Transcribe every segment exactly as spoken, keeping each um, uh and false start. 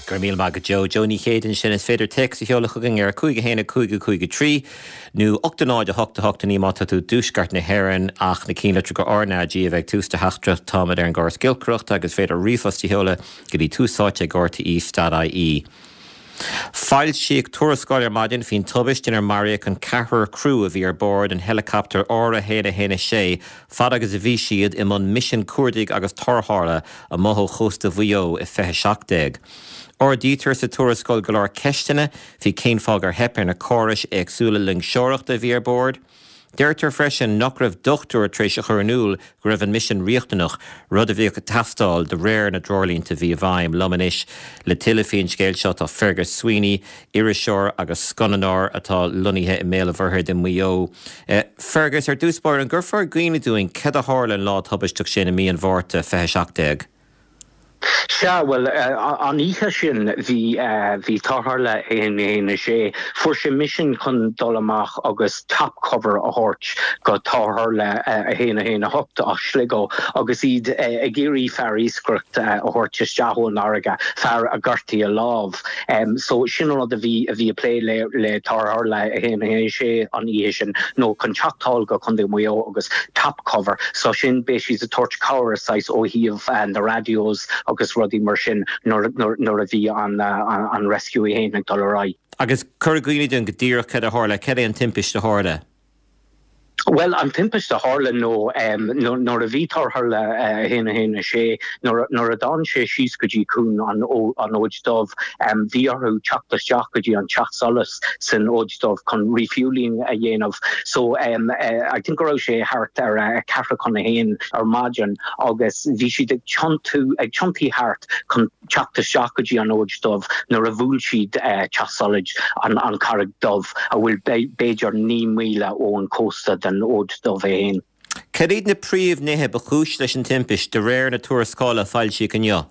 Go raibh míle maith agat Joe Joe Ní Chéide ansin is féidir téacs a sheoladh chugainn ar cúig a haon a cúig a cúig a trí nó ocht a náid a hocht a hocht a naoi má tá tú i dtuaisceart na hÉireann ach na cinnlitreacha RnaG a bheith ag tús do theachtaireacht táimid ar an gcóras giolcaireachta agus féidir ríomhphost a sheoladh go dtí túsáite ag rte.ie. Foilsíodh tuarascáil ar maidin faoin tubaiste inar maraíodh an ceathrar criú a bhí ar bord an helicopter R a haon a haon a sé fad agus a bhí siad i mbun misean cuardaigh agus tarrthála amuigh ó chósta Mhaigh Eo i fiche seacht déag. Ardaítear sa tuarascáil go leor ceisteanna faoi cén fáth ar theip ar na córais éagsúla loingseoireachta a bhí ar bord. Deirtear freisin nach raibh dochtúir tar éis a chur in iúl go raibh an misean riachtanach, rud a bhíodh ag teastáil de réir na dtreoirlínte a bhí i bhfeidhm. Liom anois le tuilleadh faoin scéal seo tá Fergus Sweeney, iriseoir agus scannánóir atá lonnaithe i mBéal an Mhuirthead i Maigh Eo. Fergus, ar dtús báire an gcuirfeá i gcuimhne dúinn céard a tharla an lá tubaisteach sin i mí an Mhárta fiche seacht déag. Sea, bhuel, an oíche sin bhí bhí tarrthála a haon a haon a sé, fuair sé misean chun dul amach agus top cover a thabhairt go tarrthála a haon a haon a hocht as Sligo agus iad ag iarraidh fear iascaireachta a thabhairt isteach ón fharraige, fear a gortaigh a lámh. So sin an rud a bhí a bhí ag plé le le tarrthála a haon a haon a sé an oíche sin nó chun teacht thall go Contae Mhaigh Eo agus top cover. So sin beidh siad ag tabhairt cabhair saghas ó thaobh na radios agus rudaí mar sin nuair a bhí an rescue é féin ag dul ar aghaidh. Agus cuir i gcuimhne dúinn go díreach céard a tharla, céard é an timpiste a tharla? Bhuel an timpiste a tharla nó nuair a bhí tarrthála a haon a haon a sé nuair a d'fhan sé síos go dtí cuan an Fhóid Dubh bhí orthu teacht isteach go dtí an teach solais san Fhóid Dubh chun refueling a dhéanamh. So I think go raibh sé thart ar ceathrú chun a haon ar maidin agus bhí siad ag tiontú ag tiontaí thart chun teacht isteach go dtí an Fhóid Dubh nuair a bhuail siad teach solais an an Charraig Dubh a bhfuil b'fhéidir naoi míle ón cósta den Fhóid Dubh é féin. Cad iad na príomhnithe ba chúis leis an timpiste de réir na tuarascála a foilsíodh inniu?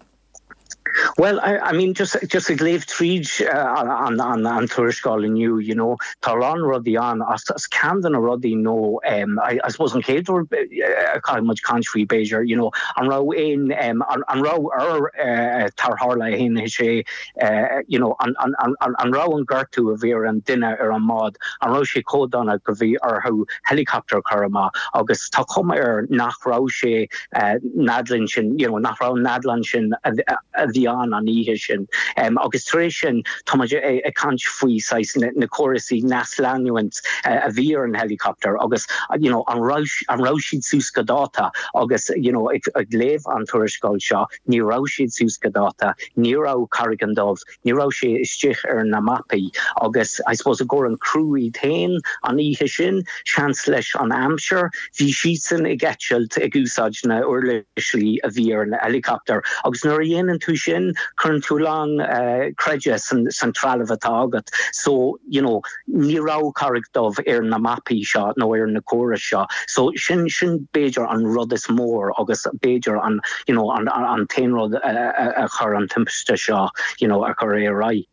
Well, I, I mean just just ag léamh tríd uh, an, an, an tuarascáil inniu, you know, tá lán rudaí ann as, as ceann de na rudaí nó um, I, I suppose an chéad rud uh, caithfidh muid caint faoi b'fhéidir, you know, an raibh aon um, an, an raibh ar uh, tarrthála a haon sé uh, you know, an, an, an, an raibh an gortú a bhí ar an duine ar an mbád, an raibh sé chomh dona go bhí orthu helicopter chur amach agus tá cuma air nach raibh sé uh, anadlann sin, you know, nach raibh anadlann sin a, a, a bhí an an oíche sin. Um, agus tar éis sin tá ag caint faoi saghas na, na córasaí nascleanúint uh, a bhí ar an helicopter agus you know, an raibh an raibh siad suas go dáta agus you know, ag, ag léamh an tuarascáil seo ní raibh siad suas go dáta, ní raibh Carraig Dubh, ní raibh sé istigh ar na mapaí agus I suppose a gur an criú iad féin an oíche sin seans leis an aimsir, bhí siadsan ag eitilt ag úsáid na uirlisí a bhí ar an helicopter agus nuair a dhéanann tú sin cuireann tú lán uh, creideamh san, san trealamh atá agat. So you know, ní raibh Carraig Dubh ar na mapaí seo nó ar na córais seo. So sin sin b'fhéidir an rud is mór agus b'fhéidir an you know, an, an, an t-aon rud a, a, a chur an timpiste seo you know, a chur ar aghaidh.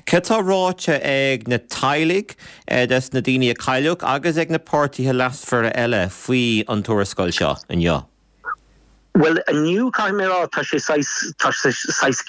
Cad tá ráite ag na teaghlaigh des na daoine a cailleadh agus ag na páirtithe leasmhara eile faoi an tuarascáil seo inniu. Well inniu caithfidh mé rá tá sé tá sé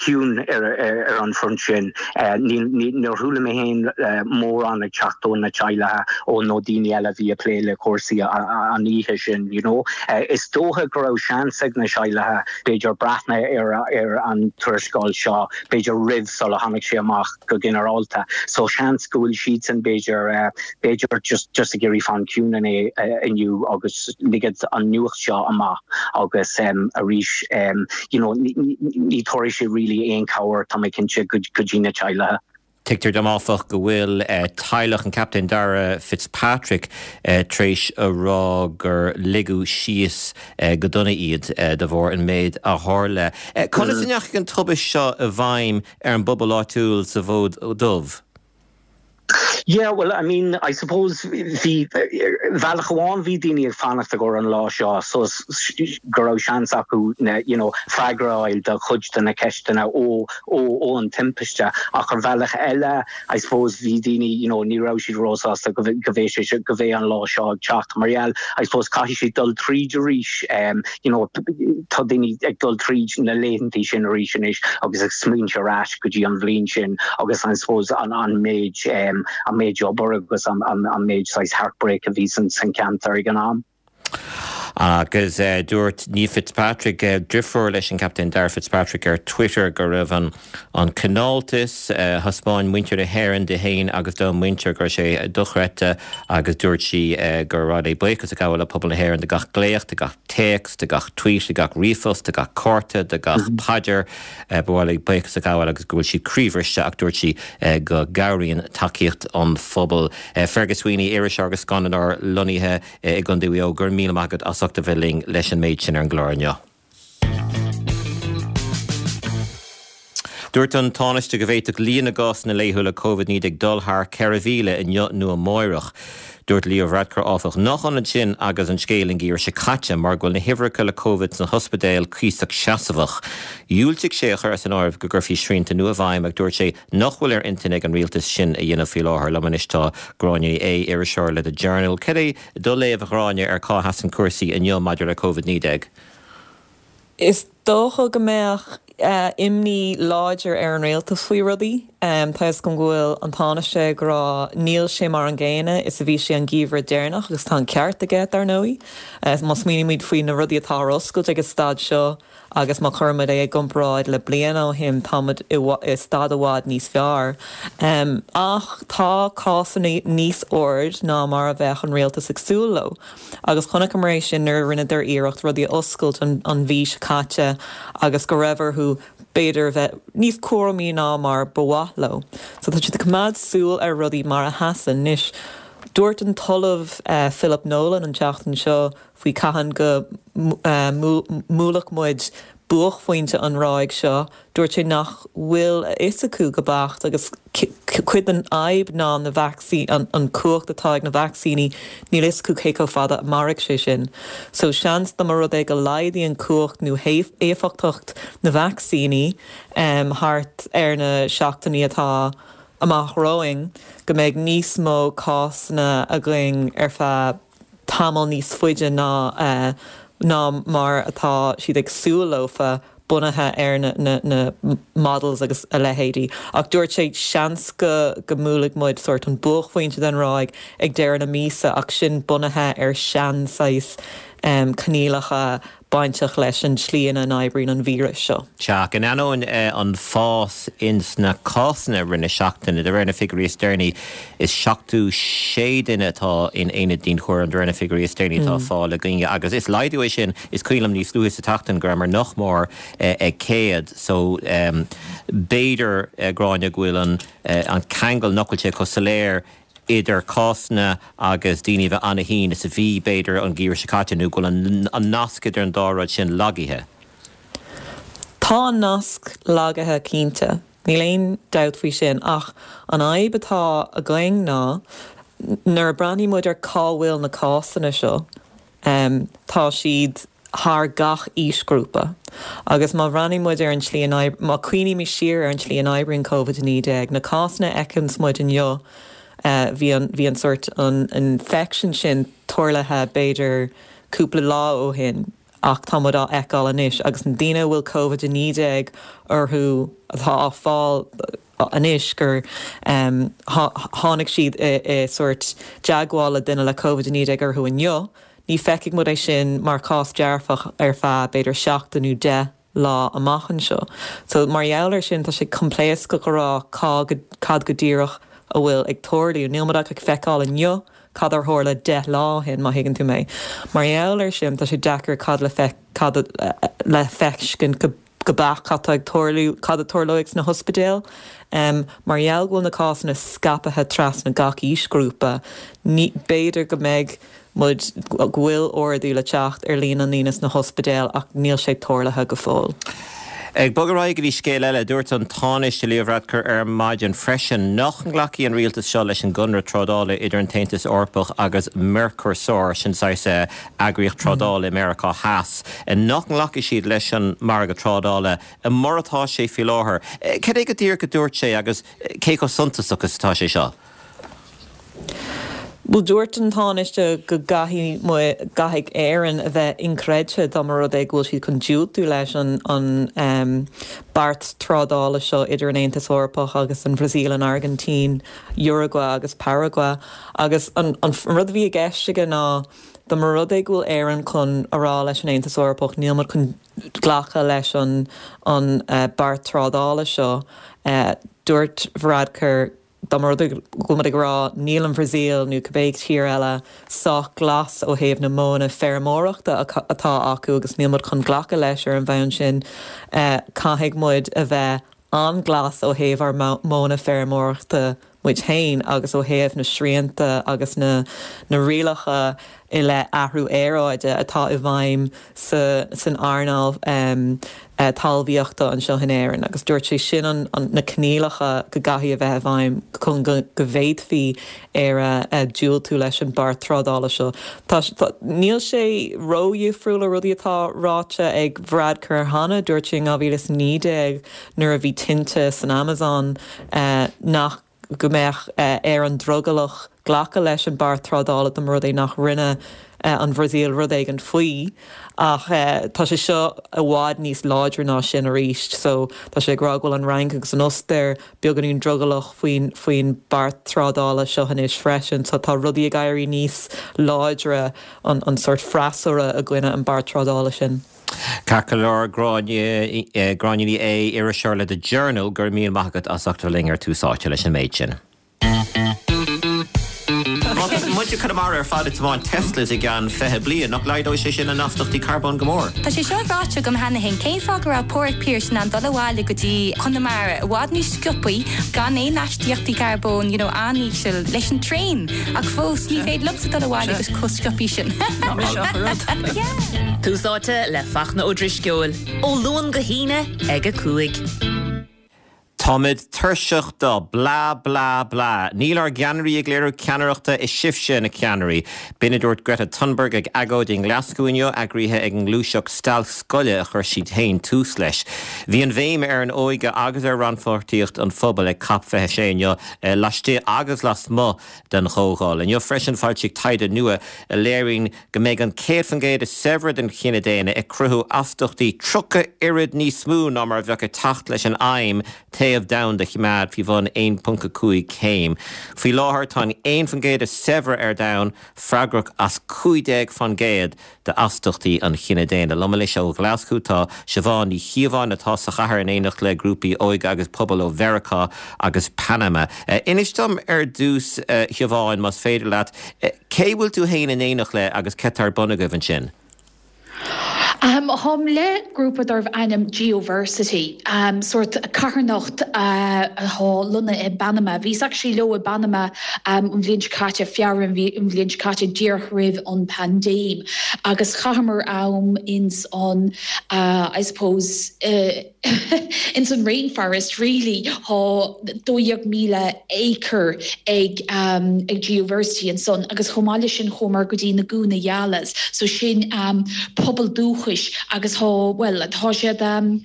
ciúin ar, ar, ar an front sin níor chuala mé féin mórán ag teacht ó na teaghlaigh ó nó daoine eile bhí ag plé le cúrsaí an oíche sin you know. Is dócha go raibh seans ag na teaghlaigh b'fhéidir breathnú ar ar an tuarascáil seo b'fhéidir roimh sula tháinig sé amach go ginearálta. So seans go bhfuil siad san b'fhéidir b'fhéidir just just ag iarraidh fan ciúin é inniu agus liged an nuacht seo amach agus um, arís um, you know, ní tabharfaidh sé really aon cabhair tá mé cinnte go dtí na teaghlaigh. Tuigtear dom áfach go bhfuil uh, teaghlach an Captain Dara Fitzpatrick uh, tar éis a rá gur ligeadh síos uh, go dona iad uh, de bharr an méid a tharla. Uh, Conas a ndeachaigh an tubaiste seo i bhfeidhm ar an bpobal áitiúil sa bhFód Dubh? Yeah, well, I mean, I suppose bhí bealach amháin bhí daoine ag fanacht go an lá seo so go raibh seans acu na you know, freagra a fháil do chuid de na ceisteanna ó ó ó an timpiste ach ar bhealach eile I suppose bhí daoine you know, ní raibh siad róshásta go go bhé sé go bhé an lá seo ag teacht mar gheall I suppose caithfidh siad dul tríd arís um, you know, tá daoine ag dul tríd na laethanta sin arís anois agus ag smaoineamh ar ais go dtí an bhliain sin agus I suppose an an méid um, an méid obair agus an, an, an méid saghas heartbreak a bhí san san ceantar ag an am. Agus uh, dúirt Niamh Fitzpatrick uh, deirfiúr leis an Captain Darragh Fitzpatrick ar Twitter go raibh an an cineáltas uh, thaispeáin muintir na hÉireann di féin agus dá muintir go raibh sé dochreidte agus dúirt sí uh, gur mhaith léi buíochas a ghabháil le pobal na hÉireann de gach glaoch, de gach téacs, de gach tweet, de gach ríomhphost, de gach cárta, de gach mm -hmm. paidir uh, ba mhaith léi buíochas a ghabháil agus go bhfuil sí croíbhriste ach dúirt sí uh, go gcabhraíonn tacaíocht an phobal. Uh, Fergus Sweeney iriseoir agus scannánóir lonnaithe uh, i gContae Mhaigh Eo gur míle maith agat as ucht a bheith linn leis an méid sin ar an gclár inniu. Dúirt an Tánaiste go bhféadfadh líon na gcásanna laethúla Covid naoi déag dul thar ceithre mhíle inniu nó amárach. Dúirt Leo Varadkar áfach nach ionann sin agus an scéal an geimhreadh seo caite mar go bhfuil na huimhreacha le Covid sna hospidéil cuíosach seasamhach. Dhiúltaigh sé a chur as an áireamh go gcuirfí srianta nua i bhfeidhm ach dúirt sé nach bhfuil ar intinn ag an rialtas sin a dhéanamh faoi láthair liom anois tá Gráinne Ní Aodha iriseoir le The Journal. Cad é do léamh a Ghráinne ar cá sheasann cúrsaí inniu maidir le Covid naoi déag. Is dócha go mbeadh uh, imní láidir ar an rialtas faoi rudaí. Um, tá go bhfuil an Tánaiste ag rá níl sé mar an gcéanna is a bhí sé an geimhreadh deireanach agus tá an ceart aige dar ndóigh. Uh, má smaoinímid faoi na rudaí atá ar oscailt ag an staid seo agus má chuirimid é i gcomparáid le bliain ó shin táimid i staid i bhfad níos fearr. Um, ach tá cásanna níos airde ná mar a bheadh an rialtas ag súil leo. Agus chonaiceamar é sin nuair a rinneadar iarracht rudaí a oscailt an, an mhí seo caite agus go raibh orthu b'fhéidir bheith níos cúramaí ná mar ba mhaith leo. So tá siad ag coimeád súil ar rudaí mar a sheasann anois. Dúirt an tOllamh uh, Philip Nolan an tseachtain seo faoi cathain go uh, mbuailfeadh muid buaicphointe an ráig seo, dúirt sé nach bhfuil a fhios acu go beacht agus cuid den fhadhb ná na vacsaíní an, an cumhacht atá ag na vacsaíní níl a fhios acu cé chomh fada a mairfidh sé sin. So seans dá mba rud é go laghdaíonn cumhacht nó éifeachtacht na vacsaíní um, thart ar na seachtainí atá amach romhainn go mbeidh níos mó cásanna againn ar feadh tamall níos faide ná uh, ná mar atá siad ag súil leofa bunaithe ar na, na, na models agus a leithéidí. Ach dúirt sé seans go go mbuailfidh muid sort an buaicphointe den ráig ag deireadh na míosa ach sin bunaithe ar sean-saghas um, coinníollacha bainteach leis an tslí ina n-oibríonn an víreas seo. Sea, in ainneoin eh, an fás ins na cásanna i rith na seachtaine, de réir na figiúirí is deireanaí is seachtó sé duine atá in aonad dianchúraim de réir na figiúirí is deireanaí atá mm. fáil againne agus is laghdú é sin is cuimhin liom níos luaithe sa tseachtain go rabhamar nach mór eh, ag céad so um, b'fhéidir eh, Gráinne go bhfuil an, eh, an ceangal nach bhfuil sé chomh soiléir idir cásanna agus daoine bheith an-tinn is a bhí b'fhéidir an geimhreadh seo caite nó go bhfuil an nasc idir an dá rud sin lagaithe. Tá an nasc lagaithe cinnte. Níl aon dabht faoi sin ach an fhadhb atá againn ná nuair a breathnaíonn muid ar cá bhfuil na cásanna seo. Um, tá siad thar gach aoisghrúpa. Agus má bhreathnaíonn muid ar an tslí má chuimhnímid siar ar an tslí a n-oibríonn Covid naoi déag, na cásanna a fheiceanns muid inniu Uh, bhí an bhí an sort an infection sin tarlaithe b'fhéidir cúpla lá ó shin ach tá muid á fheiceáil anois agus na daoine bhfuil Covid naoi déag orthu atá á fáil anois gur um, tháinig siad i, i sort teagmháil le duine le Covid naoi déag orthu inniu, ní feicfidh muid é sin mar chás dearfach ar feadh b'fhéidir seachtain nó deich lá amach anseo. So mar gheall air sin tá sé coimpléascach a rá cad go díreach a bhfuil ag tarlú níl muid ach ag feiceáil inniu cad a tharla deich lá ó shin má thuigeann tú mé. Mar gheall air sin tá sé deacair cad le fe cad le feiscint go go beacht cad ag tarlú cad a tharlóidh sna hospidéil. Um, mar gheall go bhfuil na cásanna scaipthe trasna gach aoisghrúpa, b'fhéidir go mbeidh muid go bhfuil ardú le teacht ar líon na ndaoine sna hospidéil ach níl sé tarlaithe go fóill. Ag bogadh ar aghaidh go dtí scéal eile, dúirt an Tánaiste Leo Varadkar ar maidin freisin nach nglacfaidh an rialtas seo leis an gconradh trádála idir an tAontas Eorpach agus Mercosur, sin saghas eagraíocht trádála i Meiriceá Theas, nach nglacfaidh siad leis an margadh trádála mar atá sé faoi láthair. Cad é go díreach a dúirt sé agus cé chomh suntasach is atá sé seo? Bhuel dúirt an Tánaiste go gcaithfidh gcaithfidh Éirinn a bheith inchreidte dá mba rud é go bhfuil siad chun diúltú leis an an um, beart trádála seo idir an Aontas Eorpach agus an Bhrasaíl an Airgintín, Uruguay agus Paraguay agus an, an, an rud a bhí i gceist aige ná dá mba rud é go bhfuil Éirinn chun a rá leis an Aontas Eorpach níl muid chun glacadh leis an an uh, beart trádála seo uh, dúirt Varadkar dá mba rud go bhfuil ag rá níl an Bhrasaíl nó cibé tír eile sách glas ó thaobh na modhanna feirmeoireachta atá acu agus níl muid chun glacadh leis ar an bhonn sin uh, caithfidh muid a bheith an-ghlas ó thaobh ár modhanna feirmeoireachta muid féin agus ó thaobh na srianta agus na na rialacha i leith athrú aeráide atá i bhfeidhm sa san earnáil um, uh, talmhaíochta anseo in Éirinn agus dúirt sé sin an, an na coinníollacha go gcaithfidh a bheith i bhfeidhm chun go, go bhféadfaí ar uh, diúltú leis an beart trádála seo. Tá, tá, níl sé ródhifriúil le rudaí atá ráite ag Varadkar cheana dúirt sé dhá mhíle is naoi déag nuair a bhí tinte san Amazon uh, nach go mbeadh uh, ar an drogallach glacadh leis an beart trádála dá mba rud é nach rinne uh, an Bhrasaíl rud éigin faoi ach uh, tá sé seo i bhfad níos láidre ná sin arís so tá sé ag rá go bhfuil an Fhrainc agus an Ostair beagáinín drogallach faoin faoin beart trádála seo anois freisin so tá rudaí ag éirí níos láidre an, an sort freasúra i gcoinne an beart trádála sin. Ceart go leor Gráinne Gráinne Ní Aodha iriseoir le The Journal go raibh míle maith agat as ucht linn ar Tús Áite leis an méid sin. Muid chun mar ar fad tiomáint Teslas i gceann fiche bliain nach laghdóidh sé sin an astaíochtaí carbóin go mór. Tá sé seo ráite agam cheana féin cén fáth go raibh Pádraig Pearse in ann dul abhaile go dtí Conamara i bhfad níos sciobtha gan aon astaíochtaí carbóin you know, an-íseal leis an traein ach fós ní féidir liomsa dul abhaile agus chomh sciobtha sin. Tús Áite le Fachtna Ó Drisceoil ó Luan go hAoine ag a cúig. Táimid tuirseach de blah blah blah. Níl ár gceannairí ag léiriú ceannaireachta is sibhse na ceannairí. B'in a dúirt Greta Thunberg ag agóid i nGlaschú inniu eagraithe ag an ngluaiseacht stailc scoile a chuir siad féin tús leis. Bhí an bhéim ar an óige agus ar rannpháirtíocht an phobail ag COP fiche sé inniu laistigh agus lasmuigh den chomhdháil. Inniu freisin foilsíodh taighde nua a léiríonn go mbeidh an céad faoin gcéad is saibhre den chine daonna ag cruthú astaíochtaí tríocha oiread níos mó ná mar a bheadh ag teacht leis an aidhm téamh domhanda a choimeád faoi bhun aon ponc a cúig céim. Faoi láthair tá an aon faoin gcéad is saibhre ar domhan freagrach as cúig déag faoin gcéad d'astaíochtaí an chine daonna. Liom anois ó Ghlaschú tá Siobhán Ní Chíobháin atá sa chathair in éineacht le grúpaí óige agus pobail ó Mheiriceá agus Panama. Uh, Inis dom ar dtús uh, Siobhán más féidir leat, uh, cé bhfuil tú féin in éineacht le agus cad tá ar bun agaibh ansin? Um, Táim le grúpa darbh ainm Geoversity, um, sort carthanacht uh, atá lonnaithe i bPanama. Bhíos actually leo i bPanama um, an bhliain caite Feabhra an bhliain caite díreach roimh an paindéim. agus chaitheamar am ins an uh, I suppose uh, ins an rainforest really tá dó dhéag míle acre ag um, ag Geoversity ansan agus chomh maith sin chuamar go dtí na Guna Yalas, so sin um, pobal dúchais agus tá well tá siad um,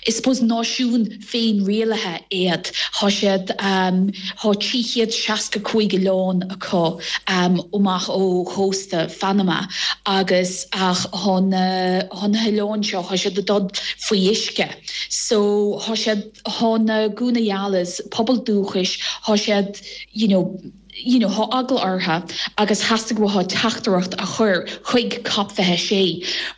is suppose náisiún féinrialaithe iad tá siad um, tá trí chéad seasca cúig oileán acu um, amach ó chósta Phanama agus ach tá na hoileáin seo tá siad dul faoi uisce. So tá siad tá na Guna Yalas pobal dúchais tá siad you know, you know, tá eagla orthu agus theastaigh uathu teachtaireacht a chur chuig COP fiche sé.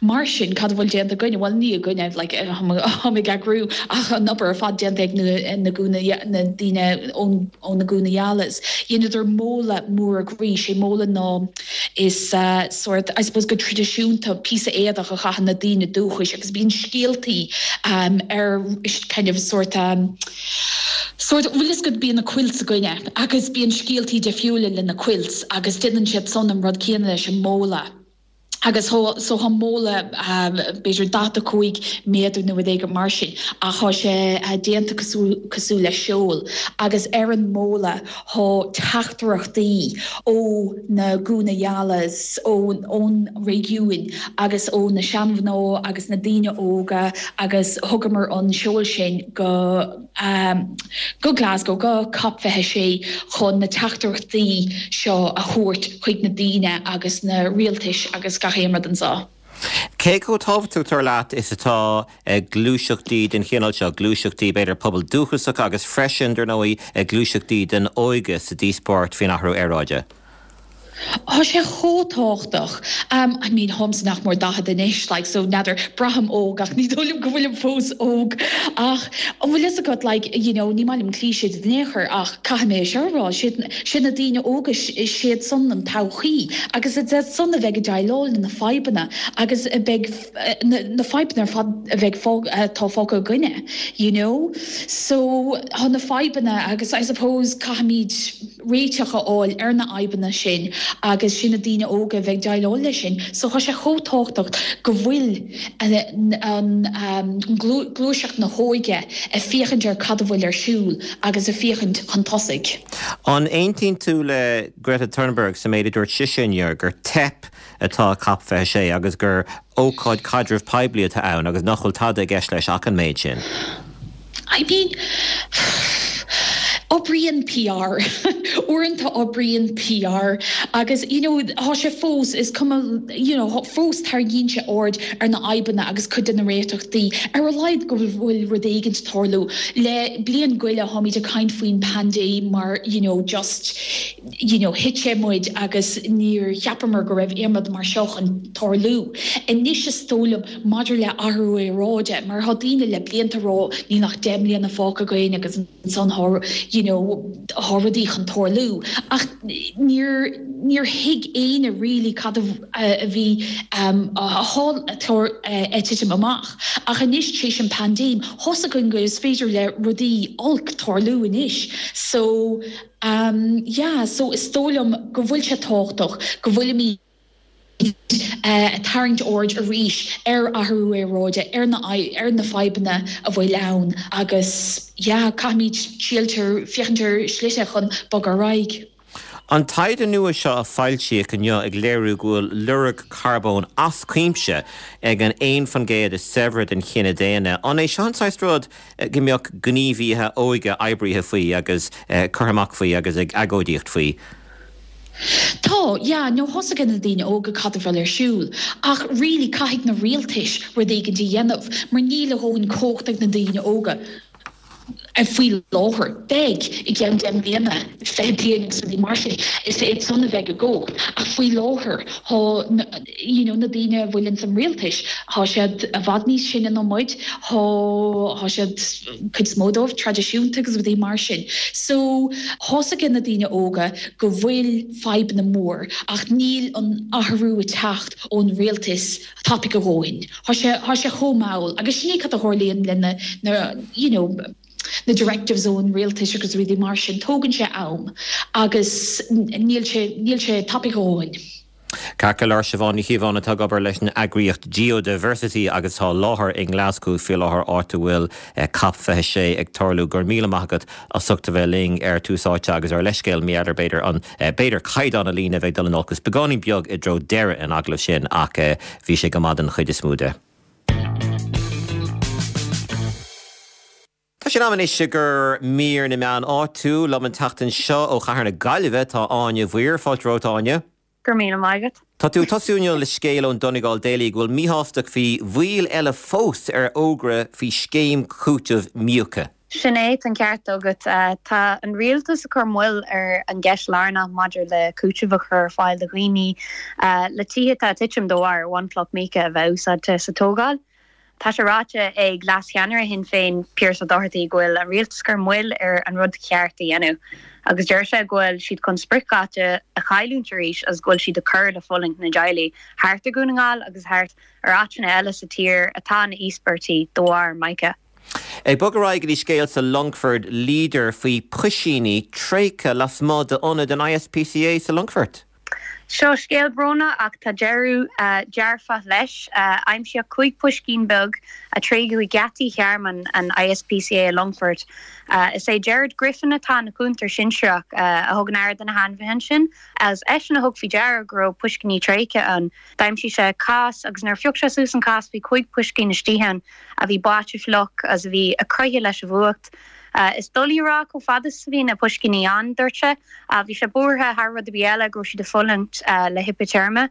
Mar sin cad bhfuil déanta againne bhuel ní againne like, ag eagrú ach an obair ar fad déanta ag na na Guna na daoine ó na Guna Yalas. Dheineadar mola mór groí sé mola ná is uh, sort I suppose go traidisiúnta píosa éadach a chaitheann na daoine dúchais agus bíonn scéaltaí um, ar kind of sort um, sort bhfuil is go bíonn na quilts againne agus bíonn scéaltaí difriúla le na quilts agus déanann siad san an rud céanna leis an mola. Agus so tá mála b'fhéidir daichead a cúig méadar nó rud éigin mar sin ach tá sé déanta cosúil le seol agus ar an mála tá teachtaireachtaí ó na Guna Yalas ón ón réigiún agus ó na seanmhná agus na daoine óga agus thugamar an seol sin go um, go Glasgow go COP fiche sé chun na teachtaireachtaí seo a thabhairt chuig na daoine agus na rialtais agus gach aon rud anseo. Cé chomh tábhachtach dar leat is atá gluaiseachtaí den chineál seo, gluaiseachtaí b'fhéidir pobal dúchasach agus freisin dar ndóigh gluaiseachtaí den óige sa díospóireacht faoin athrú aeráide? Tá sé chomh tábhachtach. Um, I mean táimse nach mór daichead anois, like, so n'fheadar braithim óg ach ní dóigh liom go bhfuilim fós óg ach an bhfuil fhios agat like, you know, ní maith liom cliché in aon chor ach caithfidh mé seo a rá sé na daoine óga siad san an todhchaí agus is san a bheidh ag déileáil na fadhbanna agus a bheidh na, na fadhbanna ar fad a bheidh tá fágtha againne, you know? So tá na fadhbanna agus I suppose caithfimid réiteach a fháil ar na fadhbanna sin agus sin na daoine óga bheidh ag déileáil leis sin, so tá sé chomh tábhachtach go bhfuil an gluaiseacht na hóige ag féachaint ar cad a bhfuil ar siúl agus ag féachaint chun tosaigh. An aontaíonn tú le Greta Thunberg sa méid a dúirt sise inniu gur teip atá COP fiche sé agus gur ócáid caidreamh poiblí atá ann agus nach bhfuil tada i gceist leis ach an méid sin? I mean, oibríonn PR uaireanta oibríonn PR agus you know tá sé fós is cuma you know fós tarraingíonn sé aird ar na fadhbanna agus cuid de na réiteachtaí ar a laghad go bhfuil rud éigin tarlú le bliain go leith táimid ag caint faoin paindéim mar you know just you know thit sé muid agus níor cheapamar go raibh aon rud mar seo chun tarlú anois is dóigh liom maidir le athrú aeráide mar tá daoine le blianta ag rá níl ach deich mbliana fágtha againn agus ansan you know tá rudaí chun tarlú ach níor níor thuig éinne really cad a bhí um, ag titim amach ach anois tréis an paindéim tá a fhios againn go is féidir le rudaí olc tarlú anois so um, yeah, so is dóigh liom go bhfuil sé tábhachtach go bhfuilimid ag tarraingt aird arís ar athrú aeráide ar na ar na fadhbanna a bhfuil ann agus yeah, caithfimid síoltar féachaint ar shlite chun bogadh ar aghaidh. An taighde nua seo a foilsíodh inniu ag léiriú go bhfuil lorg carbóin as cuimse ag an aon faoin gcéad is saibhre den chine daonna. An é seo an saghas rud go mbeadh gníomhaithe óige oibrithe faoi agus curtha amach faoi agus ag agóidíocht faoi? Tá, yeah, nó tá a fhios ag na daoine óga cad a bhfuil ar siúl, ach really caithfidh na rialtais rud éigin a dhéanamh, mar níl a dhóthain cumhacht ag na daoine óga. faoi láthair beidh i gceann deich mbliana fiche bliain agus rudaí mar sin is iad san a bheidh i gcumhacht ach faoi láthair tá you know na daoine a bhfuil ins an rialtas tá siad i bhfad níos sine ná muid tá tá siad cuid is mó dóibh traidisiúnta agus rudaí mar sin so tá a fhios ag na daoine óga go bhfuil fadhbanna mór ach níl an athrú ag teacht ón rialtas tapaidh a dhóthain tá sé tá sé chomh mall agus sin é cad a tharlaíonn le na na you know na directives ón rialtas agus rudaí mar sin tógann sé am agus níl sé níl sé tapaidh a dhóthain. Ceart go leor Siobhán Ní Chíobháin atá ag obair leis an eagraíocht Geodiversity agus tá láthair i nGlasgow faoi láthair áit a bhfuil COP fiche sé ag tarlú go raibh míle maith agat as ucht a bheith linn ar Tús Áite agus ár leithscéal mí eader b'fhéidir an b'fhéidir caighdeán na líne bheith dul in olcas beagáinín beag i dtreo deireadh an agallaimh sin ach bhí sé go maith den chuid is mó de. Tá sé in am anois i gcomhair mír na meán áitiúil liom an tseachtain seo ó chathair na Gaillimhe tá Áine Mhaoir, fáilte romhat Áine. Go raibh míle maith agat. Tá tú ag tosú inniu le scéal ón Donegal Daily go bhfuil míshástacht faoi mhoill eile fós ar fhógra faoi scéim cúitimh míoca. Sin é an ceart agat. Tá an rialtas ag cur moill ar an gceist lárnach maidir le cúiteamh a chur ar fáil do dhaoine le tithe atá ag titim de bharr bhunchloch míoca a bheith úsáidte sa tógáil. Tá sé ráite ag leascheannaire Shinn Féin, Pearse Doherty, go bhfuil an rialtas ag cur moill ar an rud ceart a dhéanamh agus deir sé go bhfuil siad chun spriocdháta a chailliúint arís agus go bhfuil siad ag cur le fulaingt na dteaghlach thart ar Dhún na nGall agus thart ar áiteanna eile sa tír atá ina íospartaigh de bharr mica. Ag bogadh ar aghaidh go dtí scéal sa Longfort Leader faoi phuisíní tréigthe lasmuigh d'ionad an ISPCA sa Longfort. Seo scéal brónach ach tá deireadh dearfach leis. Aimsíodh cúig phuiscín beag a tréigeadh ag geataí thearmann an I S P C A i Longfort. Is é Gerard Griffin atá ina chúntóir sinsearach a thugann aire do na hainmhithe ansin, is eisean a thug faoi deara go raibh puiscíní tréigthe ann. D'aimsigh sé cás agus nuair a phioc sé suas an cás bhí cúig phuiscín istigh ann a bhí báite fliuch agus a bhí ag croitheadh leis an bhfuacht. Is doiligh a rá chomh fada is a bhí na puiscíní ann, dúirt sé. Bhí sé buartha thar rud ar bith eile go raibh siad ag fulaingt le hipiteirme.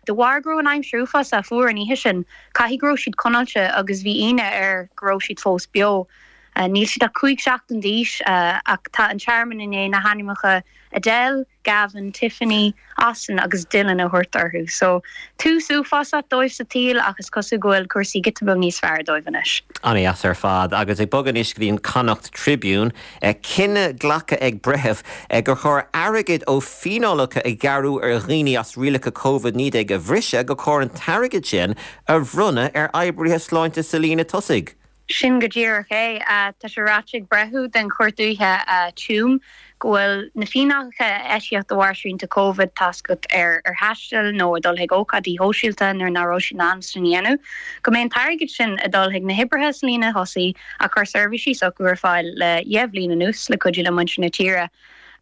De bharr go raibh an aimsir uafásach fuar an oíche sin, caithfidh go raibh siad conáilte agus bhí ionadh air go raibh siad fós beo. Níl siad ach cúig seachtain d'aois ach tá an tearmann i ndiaidh na hainmneacha Adele, Gavin, Tiffany, Austin agus Dylan a thabhairt orthu. So tús uafásach dóibh sa tsaol ach is cosúil go bhfuil cúrsaí giota beag níos fearr dóibh anois. An-deas ar fad agus ag bogadh anois go dtí an Connacht Tribune, cinneadh glactha ag breitheamh gur chóir airgead ó fíneálacha a gearradh ar dhaoine as rialacha Covid naoi déag a bhriseadh gur chóir an t-airgead sin a bhronnadh ar oibrithe sláinte sa líne tosaigh. Sin go díreach é. Tá sé ráite ag breitheamh den Chúirt Dúiche Tuam go bhfuil na fíneálacha a eisíodh de bharr srianta Covid tascat ar ar thaisteal nó ag dul chuig ócáidí sóisialta nuair nach raibh siad in ann sin a dhéanamh, go mbeidh an t-airgead sin ag dul chuig na hoibrithe sa líne thosaigh a chuir seirbhísí s'acu ar fáil le deich bhliain anuas le cuidiú le muintir na tíre.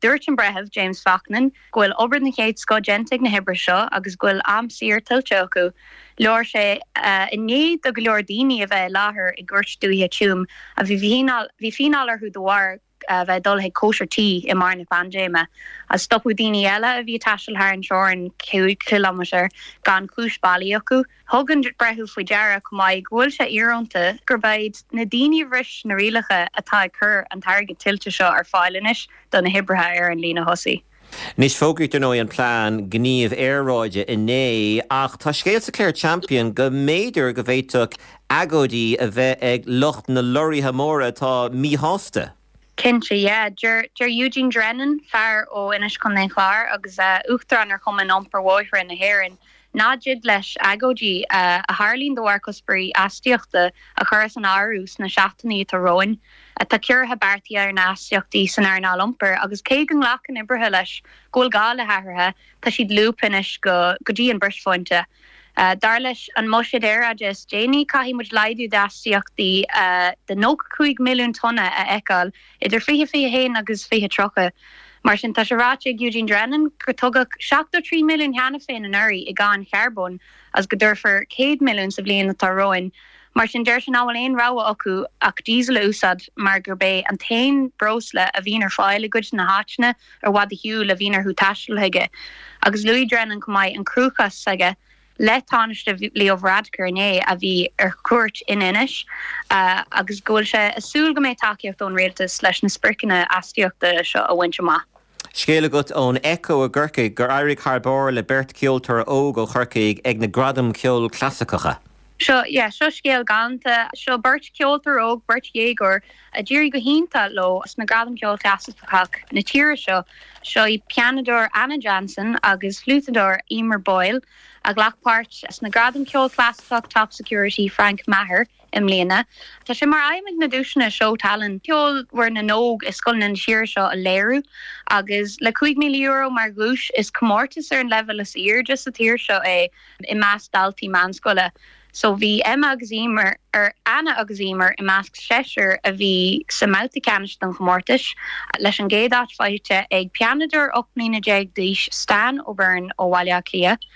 Dúirt an breitheamh James Faughnan go bhfuil obair den chéad scoth déanta ag na hoibrithe seo agus go bhfuil am saor tuillte acu. Labhair sé i ndiaidh do go leor daoine a bheith i láthair i gCúirt Dúiche Tuam a bhí bhí fíneáil orthu de bharr a bheith dul chuig cóisir tí i mbarr na paindéime. A stopadh daoine eile a bhí taisteal thar an teorainn cúig kilometer gan chúis bhailí acu. Thug an breitheamh faoi deara chomh maith go bhfuil sé íorónta gurb iad na daoine a bhris na rialacha atá ag cur an t-airgead tuillte seo ar fáil anois do na hoibrithe ar an líne thosaigh. Anois fógraíodh ar ndóigh an plean gníomh aeráide inné ach tá scéal sa Clare Champion go mb'fhéidir go bhféadfadh agóidí a bheith ag lucht na lorraithe móra atá míshásta. Cinnte, yeah. Deir deir Eugene Drennan, fear ó Inis Contae an Chláir agus uh, uachtarán ar Chumann Iompair Bóithre na hÉireann, nach dtig leis agóidí uh, a tharlaíonn de bharr cuspóirí astaíochta a chur san áireamh sna seachtainí atá romhainn. Tá ciorruithe beartaithe ar na hastaíochtaí san earnáil iompair agus cé go nglacann oibrithe leis go bhfuil gá le hathruithe, tá siad lúbtha anois go go dtí an brisphointe. Uh, dar leis an mbuiséad aeráide is déanaí caithfidh muid laghdú d'astaíochtaí uh, de nócha cúig milliún tonna a fheiceáil idir fiche fiche haon agus fiche tríocha. Mar sin tá sé ráite ag Eugene Drennan gur tugadh seachtó trí milliún cheana féin anuraidh i gcáin charbóin agus go dtabharfar céad milliún sa bhliain atá romhainn. Mar sin deir sé nach bhfuil aon rogha acu ach diesel a úsáid mar gurb é an t-aon breosla a bhíonn ar fáil i gcuid na háiteanna ar bhfad ar shiúl a bhíonn orthu taisteal chuige. Agus luaigh Drennan chomh maith an cruachás aige le Tánaiste Leo Varadkar inné a bhí ar cuairt in Inis uh, agus go bhfuil sé ag súil go mbeidh tacaíocht ón rialtas leis na spriocanna astaíochta seo a bhaint amach. Scéal agat ón Echo i gCorcaigh gur éirigh thar barr le beirt ceoltóir óg ó Chorcaigh ag na Gradaim Ceoil Clasaiceacha. Seo yeah, seo scéal galánta seo beirt ceoltóir óg beirt dhéagóir a d'éirigh go hiontach leo sna Gradaim Ceoil Chlasaiceach na tíre seo seo í pianadóir Anna Jansen agus fliútadóir Emer Boyle a ghlac páirt sna Gradaim Ceoil Chlasaiceach Top Security Frank Maher i mbliana. Tá sé mar aidhm ag na duaiseanna seo tallann ceolmhar na n-óg i scoileanna na tíre seo a léiriú agus le cúig míle euro mar dhuais is comórtas ar an leibhéal is airde sa tír seo é i measc daltaí meánscoile. So bhí Emma agus Emer ar Anna agus Emer i measc seisear a bhí sa mbabhta ceannais den chomórtas leis an gcéad áit faighte ag pianadóir ocht mbliana déag d'aois Stan O'Byrne ó Bhaile Átha Cliath.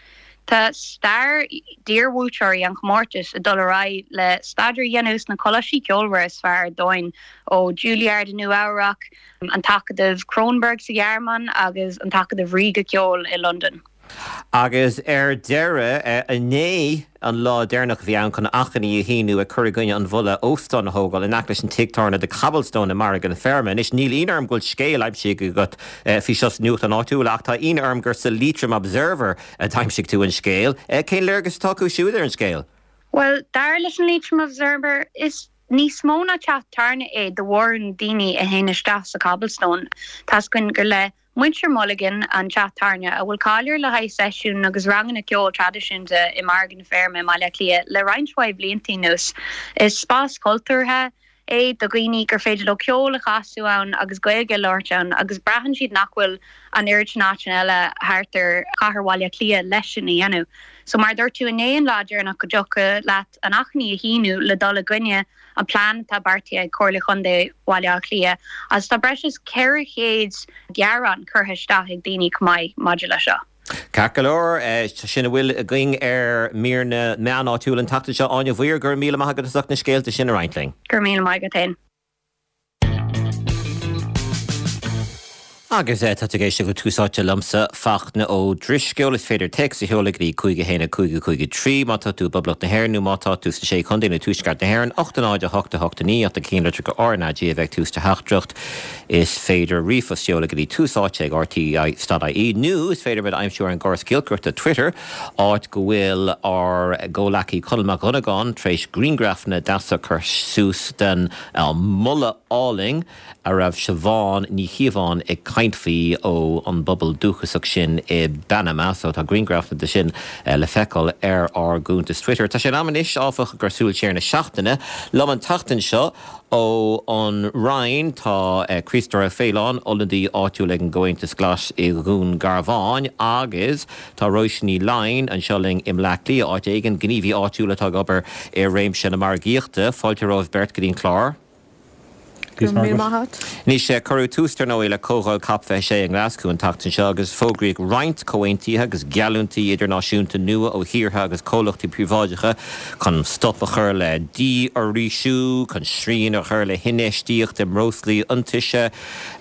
Tá stair d'iarbhuaiteoirí an chomórtais ag dul ar aghaidh le staidéar a dhéanamh sna coláistí ceolmhara is fearr ar domhan ó Juilliard i Nua-Eabhrac, an tAcadamh Kronberg sa Ghearmáin agus an tAcadamh Ríoga Ceoil i Londain. Agus ar deireadh inné an lá deireanach a bhí ann chun achainí a shíniú ag cur i gcoinne an mholadh óstán a thógáil in aice leis an tigh tábhairne The Cobblestone i Margadh na Feirme. Anois níl ionadh orm go bhfuil scéal aimsithe agat faoi seo sa nuachtán áitiúil ach tá ionadh orm gur sa Leitrim Observer a d'aimsigh tú an scéal. Cén léargas atá acu siúd ar an scéal? Well, dar leis an Leitrim Observer is níos mó ná teach tábhairne é do mhórán daoine a théann isteach sa Cobblestone. Tá gur le Muintir Mulligan an teach tábhairne a bhfuil cáil air le haghaidh seisiún agus ranganna ceoil traidisiúnta i Margadh na Feirme Baile Átha Cliath le roinnt mhaith blianta anuas. Is spás cultúrtha, é do dhaoine gur féidir leo ceol a chasadh ann agus Gaeilge a labhairt ann agus braitheann siad nach bhfuil an oiread sin áiteanna eile thart ar chathair Bhaile Átha Cliath leis sin a dhéanamh. So mar dúirt tú inné an lá deireanach go dtiocfadh leat an achainí a shíniú le dul i gcoinne an plean atá beartaithe ag Comhairle Chontae Bhaile Átha Cliath agus tá breis is ceithre chéad gearán curtha isteach ag daoine chomh maith maidir leis seo. Ceart go leor, sin a bhfuil againn ar mír na meán áitiúil an tseachtain seo Áine Mhaoir go raibh míle maith agat as ucht na scéalta sin a roinnt linn. Go raibh míle maith agat féin. Agus tá tú ag éisteacht le Tús Áite liomsa Fachtna Ó Drisceoil is féidir téacs a sheoladh go dtí cúig a haon a cúig a cúig a trí má tá tú i bPoblacht na hÉireann nó má tá tú sna Sé Chontae nó Tuaisceart na hÉireann, ocht a náid a hocht a hocht a naoi ach na cinnlitreacha R na G a bheith tús de theachtaireacht. Is féidir ríomhphost a sheoladh go dtí Tús Áite ag RTÉ.ie nó is féidir muid a aimsiú ar an gcóras giolcaireachta Twitter, áit go bhfuil ár gcomhleacaí Conall Mac Dhonnagáin tar éis grianghrafanna deasa a chur suas den moladh álainn a raibh Siobhán Ní Chíobháin ag caint faoi ó an bpobal dúchasach sin i bPanama, so tá grianghrafanna de sin le feiceáil ar ár gcuntas Twitter. Tá sé in am anois, áfach, ag cur súil siar na seachtaine. Liom an tseachtain seo ó an Rinn tá Críostóir Ó Faoláin, ionadaí áitiúil ag an gComhaontas Glas i Dhún Garbhán agus tá Róisín Ní Laighin anseo linn i mBleá Cliath, áit éigin, gníomhaí áitiúil atá ag obair i réimse na margaíochta. Fáilte romhaibh beirt go dtí an clár. Go raibh míle maith agat. Anois, cuireadh tús, dar ndóigh, le Comhdháil Cop fiche sé i nGlaschú an tseachtain seo agus fógraíodh roinnt comhaontuithe agus geallúintí idirnáisiúnta nua ó thíortha agus comhlachtaí príobháideacha chun stop a chur le dífhoraoisiú, chun srian a chur le hinfheistíocht i mbreoslaí iontaise,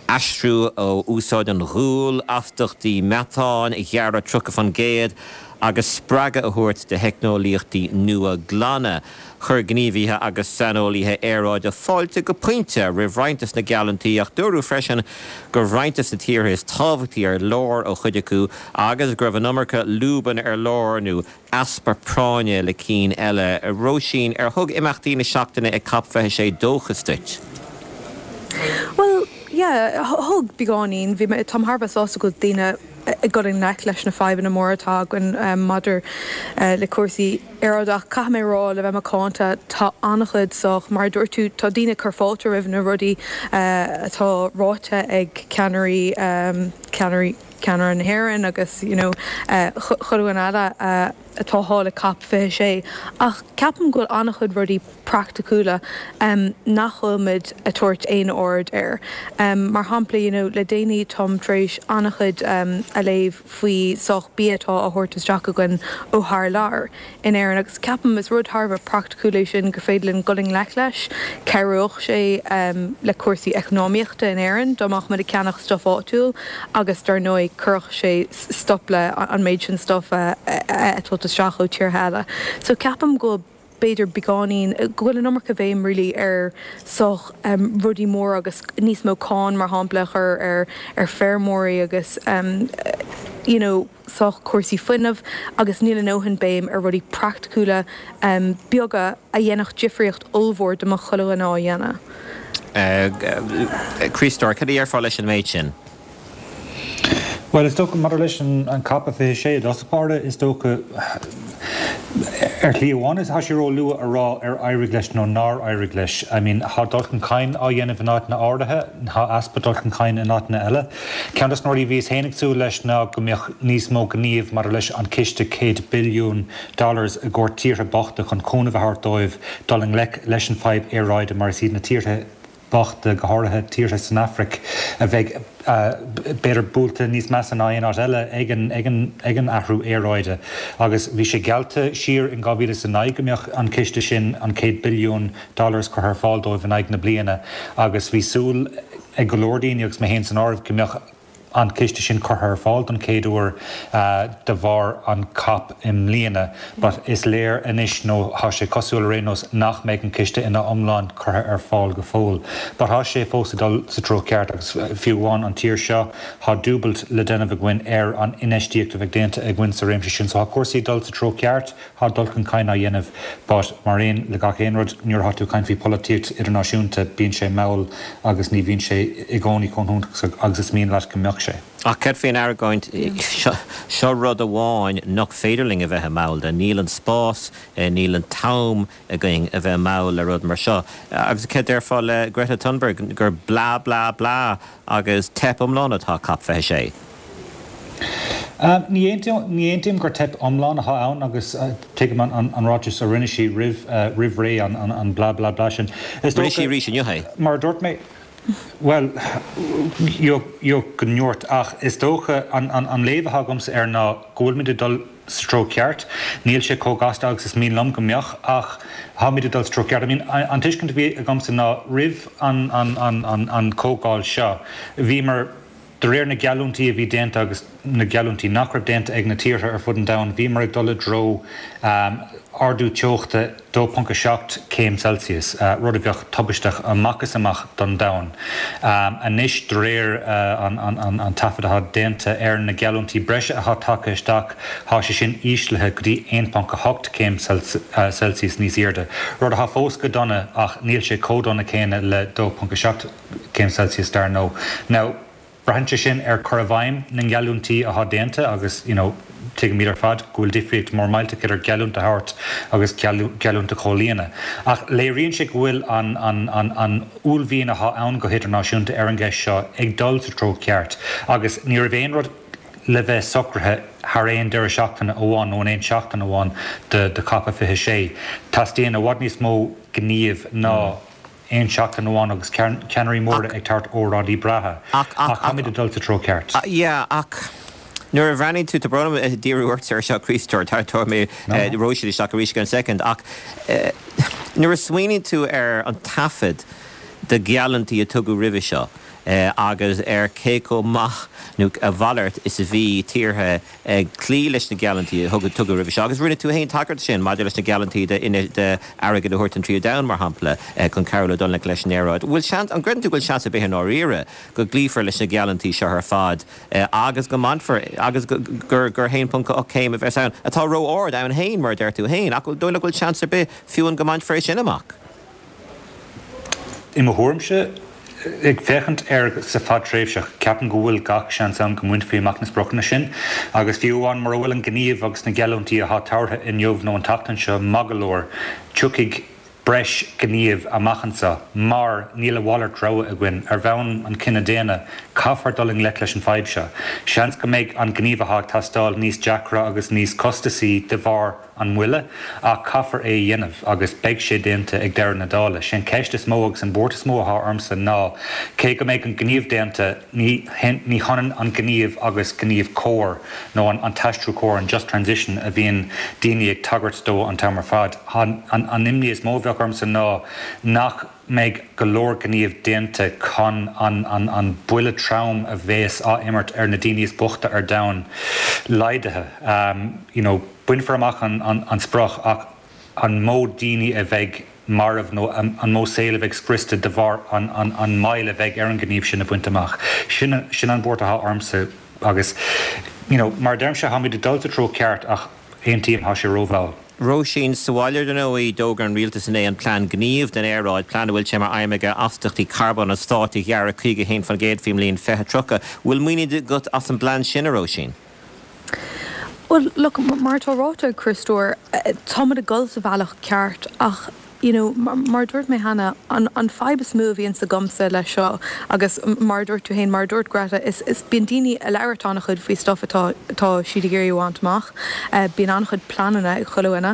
aistriú ó úsáid an ghuail, astaíochtaí meatáin a ghearradh tríocha faoin gcéad agus spreagadh a thabhairt do theicneolaíochtaí nua glana. Chuir gníomhaithe agus saineolaithe aeráide fáilte go pointe roimh roinnt de na geallúintí ach dúradh freisin go raibh roinnt de na tíortha is tábhachtaí ar lár ó chuid acu agus go raibh an iomarca lúbanna ar lár nó easpa práinne le cinn eile. Róisín, ar thug imeachtaí na seachtaine ag Cop fiche sé dóchas duit? Bhuel, yeah, thug beagáinín. Bhí mé, táim thar a bheith sásta go bhfuil daoine ag dul i ngleic leis na fadhbanna móra atá againn maidir le cúrsaí aeráide ach caithfidh mé a rá, le bheith macánta, tá an-chuid sách, mar a dúirt tú, tá daoine ag cur fáilte roimh na rudaí atá ráite ag ceannairí, ceannairí, ceannaire na hÉireann agus you know chuile dhuine eile atá thall ag Cop fiche sé ach ceapaim go bhfuil an-chuid rudaí praiticiúla nach bhfuil muid ag tabhairt aon aird air. Mar shampla you know le déanaí táim tar éis an-chuid a léamh faoi sách bia atá á thabhairt isteach againn ó thar lear in Éirinn agus ceapaim is rud thar a bheith praiticiúil é sin gur féidir linn dul i ngleic leis. Cabhródh sé le cúrsaí eacnamaíochta in Éirinn dá mbeadh muid ag ceannach stuif áitiúil agus dar ndóigh chuirfeadh sé stop le an méid sin stuif a tabhairt isteach ó tíortha eile. So ceapaim go b'fhéidir beagáinín, go bhfuil an iomarca bhéim really ar sách rudaí móra agus níos mó cáin mar shampla a chur ar ar feirmeoirí agus you know sách cúrsaí fuinnimh agus níl a ndóthain béim ar rudaí praiticiúla beaga a dhéanfadh difríocht ollmhór dá mbeadh chuile dhuine á dhéanamh. Críostóir, cad a déarfá leis an méid sin? Bhuel, is dócha, maidir leis an Cop fiche sé i dtosach báire, is dócha, ar shlí amháin, tá sé ró-luath a rá ar éirigh leis nó nár éirigh leis. I mean, tá dul chun cinn á dhéanamh in áiteanna áirithe, tá easpa dul chun cinn in áiteanna eile. Ceann de na rudaí a bhíos féin ag súil leis ná go mbeadh níos mó gníomh maidir leis an ciste céad billiún dollars i gcomhair tíortha bochta chun cúnamh a thabhairt dóibh dul i ngleic leis an fadhb aeráide mar is iad na tíortha bochta, go háirithe tíortha san Afraic, a bheidh b'fhéidir buailte níos measa ná aon áit eile ag an athrú aeráide. Agus bhí sé geallta siar in dhá mhíle is a naoi go mbeadh an ciste sin, an céad billiún dollars, curtha ar fáil dóibh in aghaidh na bliana agus bhí súil ag go leor daoine, agus mé féin san áireamh, go mbeadh an ciste sin curtha ar fáil don chéad uair de bharr an cop i mbliana but is léir anois nó thá sé cosúil ar aon nós nach mbeidh an ciste ina iomlán curtha ar fáil go fóill but thá sé fós ag dul sa treo ceart agus fiú amháin an tír seo thá dúbailt le déanamh againn ar an infheistíocht a bheidh déanta againn sa réimse sin so thá cúrsaí ag dul sa treo ceart. Thá dul chun cinn á dhéanamh but mar aon le gach aon rud nuair atá tú ag caint faoi polaitíocht idirnáisiúnta bíonn sé mall agus ní bhíonn sé i gcónaí chomh hiontach agus is mian leat go mbeadh sé. sé. Ach céard faoin argóint, seo rud amháin nach féidir linn a bheith mall de, níl an spás, níl an t-am againn a bheith mall le rud mar seo. Agus céard déarfá le Greta Thunberg gur blah blah blah agus teip iomlán atá COP fiche sé? Ní aontaím gur teip iomlán atá ann agus tuigim an ráiteas a rinne sí roimh roimh ré an blah blah blah sin. Rinne sí arís inniu é. Mar a dúirt mé, bhuel, go ndúirt ach is dócha an léamh atá agamsa air ná go bhfuilimid ag dul sa treo ceart. Níl sé chomh gasta agus is mian liom go mbeadh ach táimid ag dul sa treo ceart. I mean, an tuiscint a bhí agamsa ná roimh an an chomhdháil seo, bhíomar De réir na geallúintí a bhí déanta agus na geallúintí nach raibh déanta ag na tíortha ar fud an domhain, bhíomar ag dul i dtreo ardú teochta dó ponc a seacht céim Celsius, rud a bheadh tubaisteach amach is amach don domhan. Anois, de réir an taifead atá déanta ar na geallúintí breise atá tagtha isteach, tá sé sin íslithe go dtí aon ponc a hocht céim Celsius níos airde, rud atá fós go dona ach níl sé chomh dona céanna le dó ponc a seacht céim Celsius dar ndóigh. Now, Braitheann sé sin ar chur i bhfeidhm na ngeallúintí atá déanta agus you know tuigimid ar fad go bhfuil difríocht mór millteach idir geallúint a thabhairt agus geallúint a chomhlíonadh. Ach léiríonn sé go bhfuil an an an an uaillmhian atá ann go hidirnáisiúnta ar an gceist seo ag dul sa treo ceart agus ní raibh aon rud le bheith socraithe thar aon deireadh seachtaine amháin nó in aon seachtain amháin de de COP fiche sé. Teastaíonn i bhfad níos mó gnímh ná aon seachtain amháin agus ceannairí móra ag tabhairt óráidí breátha. Ach táimid ag dul sa treo ceart. Yeah, ach nuair a bhreathnaíonn tú, tá brón orm díriú ort ar seo, a Chriostóir, tabharfaidh mé Róisín isteach arís i gceann soicind, ach nuair a smaoiníonn tú ar an taifead de gheallúintí a tugadh roimhe seo agus ar cé chomh maith nó a mhalairt is a bhí tíortha ag cloí leis na geallúintí a tugadh roimhe seo. Agus rinne tú féin tagairt sin maidir leis na geallúintí de airgead a thabhairt don Tríú Domhan, mar shampla, chun cabhrú le dul i ngleic leis an aeráid. Bhfuil seans, an gcreideann tú go bhfuil seans ar bith i ndáiríre go gcloífear leis na geallúintí seo ar fad agus go mbainfear, agus gur a haon ponc ocht céim a bheas ann, atá ró-ard ann féin, mar a deir tú féin, ach an dóigh leat go bhfuil seans ar bith fiú go mbainfear é sin amach? I mo thuairimse, Ag féachaint air sa fadtréimhseach, ceapaim go bhfuil gach seans ann go mbainfí amach na spriocanna sin agus fiú amháin mura bhfuil an gníomh agus na geallúintí atá tabhartha inniu nó an tseachtain seo maith go leor, tiocfaidh breis gnímh amach anseo mar níl a mhalairt rogha againn. Ar bhonn an chine daonna, caithfear dul i ngleic leis an fadhb seo. Seans go mbeidh an gníomh atá ag teastáil níos deacra agus níos costasaí de bharr an mhoille, ach caithfear é a dhéanamh agus beidh sé déanta ag deireadh na dála. Sé an ceist is mó agus an buairt is mó atá ormsa ná, cé go mbeidh an gníomh déanta, ní ní hionann an gníomh agus gníomh cóir nó an t-aistriú cóir, an just transition a bhíonn daoine ag tagairt dó an t-am ar fad. An imní is mó a bheadh ormsa ná nach mbeidh go leor gníomh déanta chun an an buille trom a bheas á imirt ar na daoine is boichte ar domhan laghdaithe. You know, bainfear amach an an sprioc ach an mó daoine a bheidh marbh nó an mó saol a bheidh scriosta de bharr an an an moill a bheidh ar an gníomh sin a bhaint amach. Sin sin an buairt atá ormsa agus you know, mar a deirimse, táimid ag dul sa treo ceart ach aontaím, tá sé rómhall. Róisín, Sa bhaile, ar ndóigh, d'fhógair an rialtas inné an Plean Gnímh don Aeráid, plean a bhfuil sé mar aidhm aige astaíochtaí carbóin an stáit a ghearradh caoga a haon faoin gcéad faoin mbliain fiche tríocha. Bhfuil muinín agat as an bplean sin, a Róisín? Bhuel, look, mar atá ráite ag Criostóir, táimid ag dul sa bhealach ceart ach, you know, mar a dúirt mé cheana, an an fadhb is mó a bhíonns agamsa leis seo agus mar a dúirt tú féin, mar a dúirt Greta, is is bíonn daoine ag labhairt an-chuid faoi stuff atá atá siad ag iarraidh a bhaint amach, bíonn an-chuid pleananna ag chuile dhuine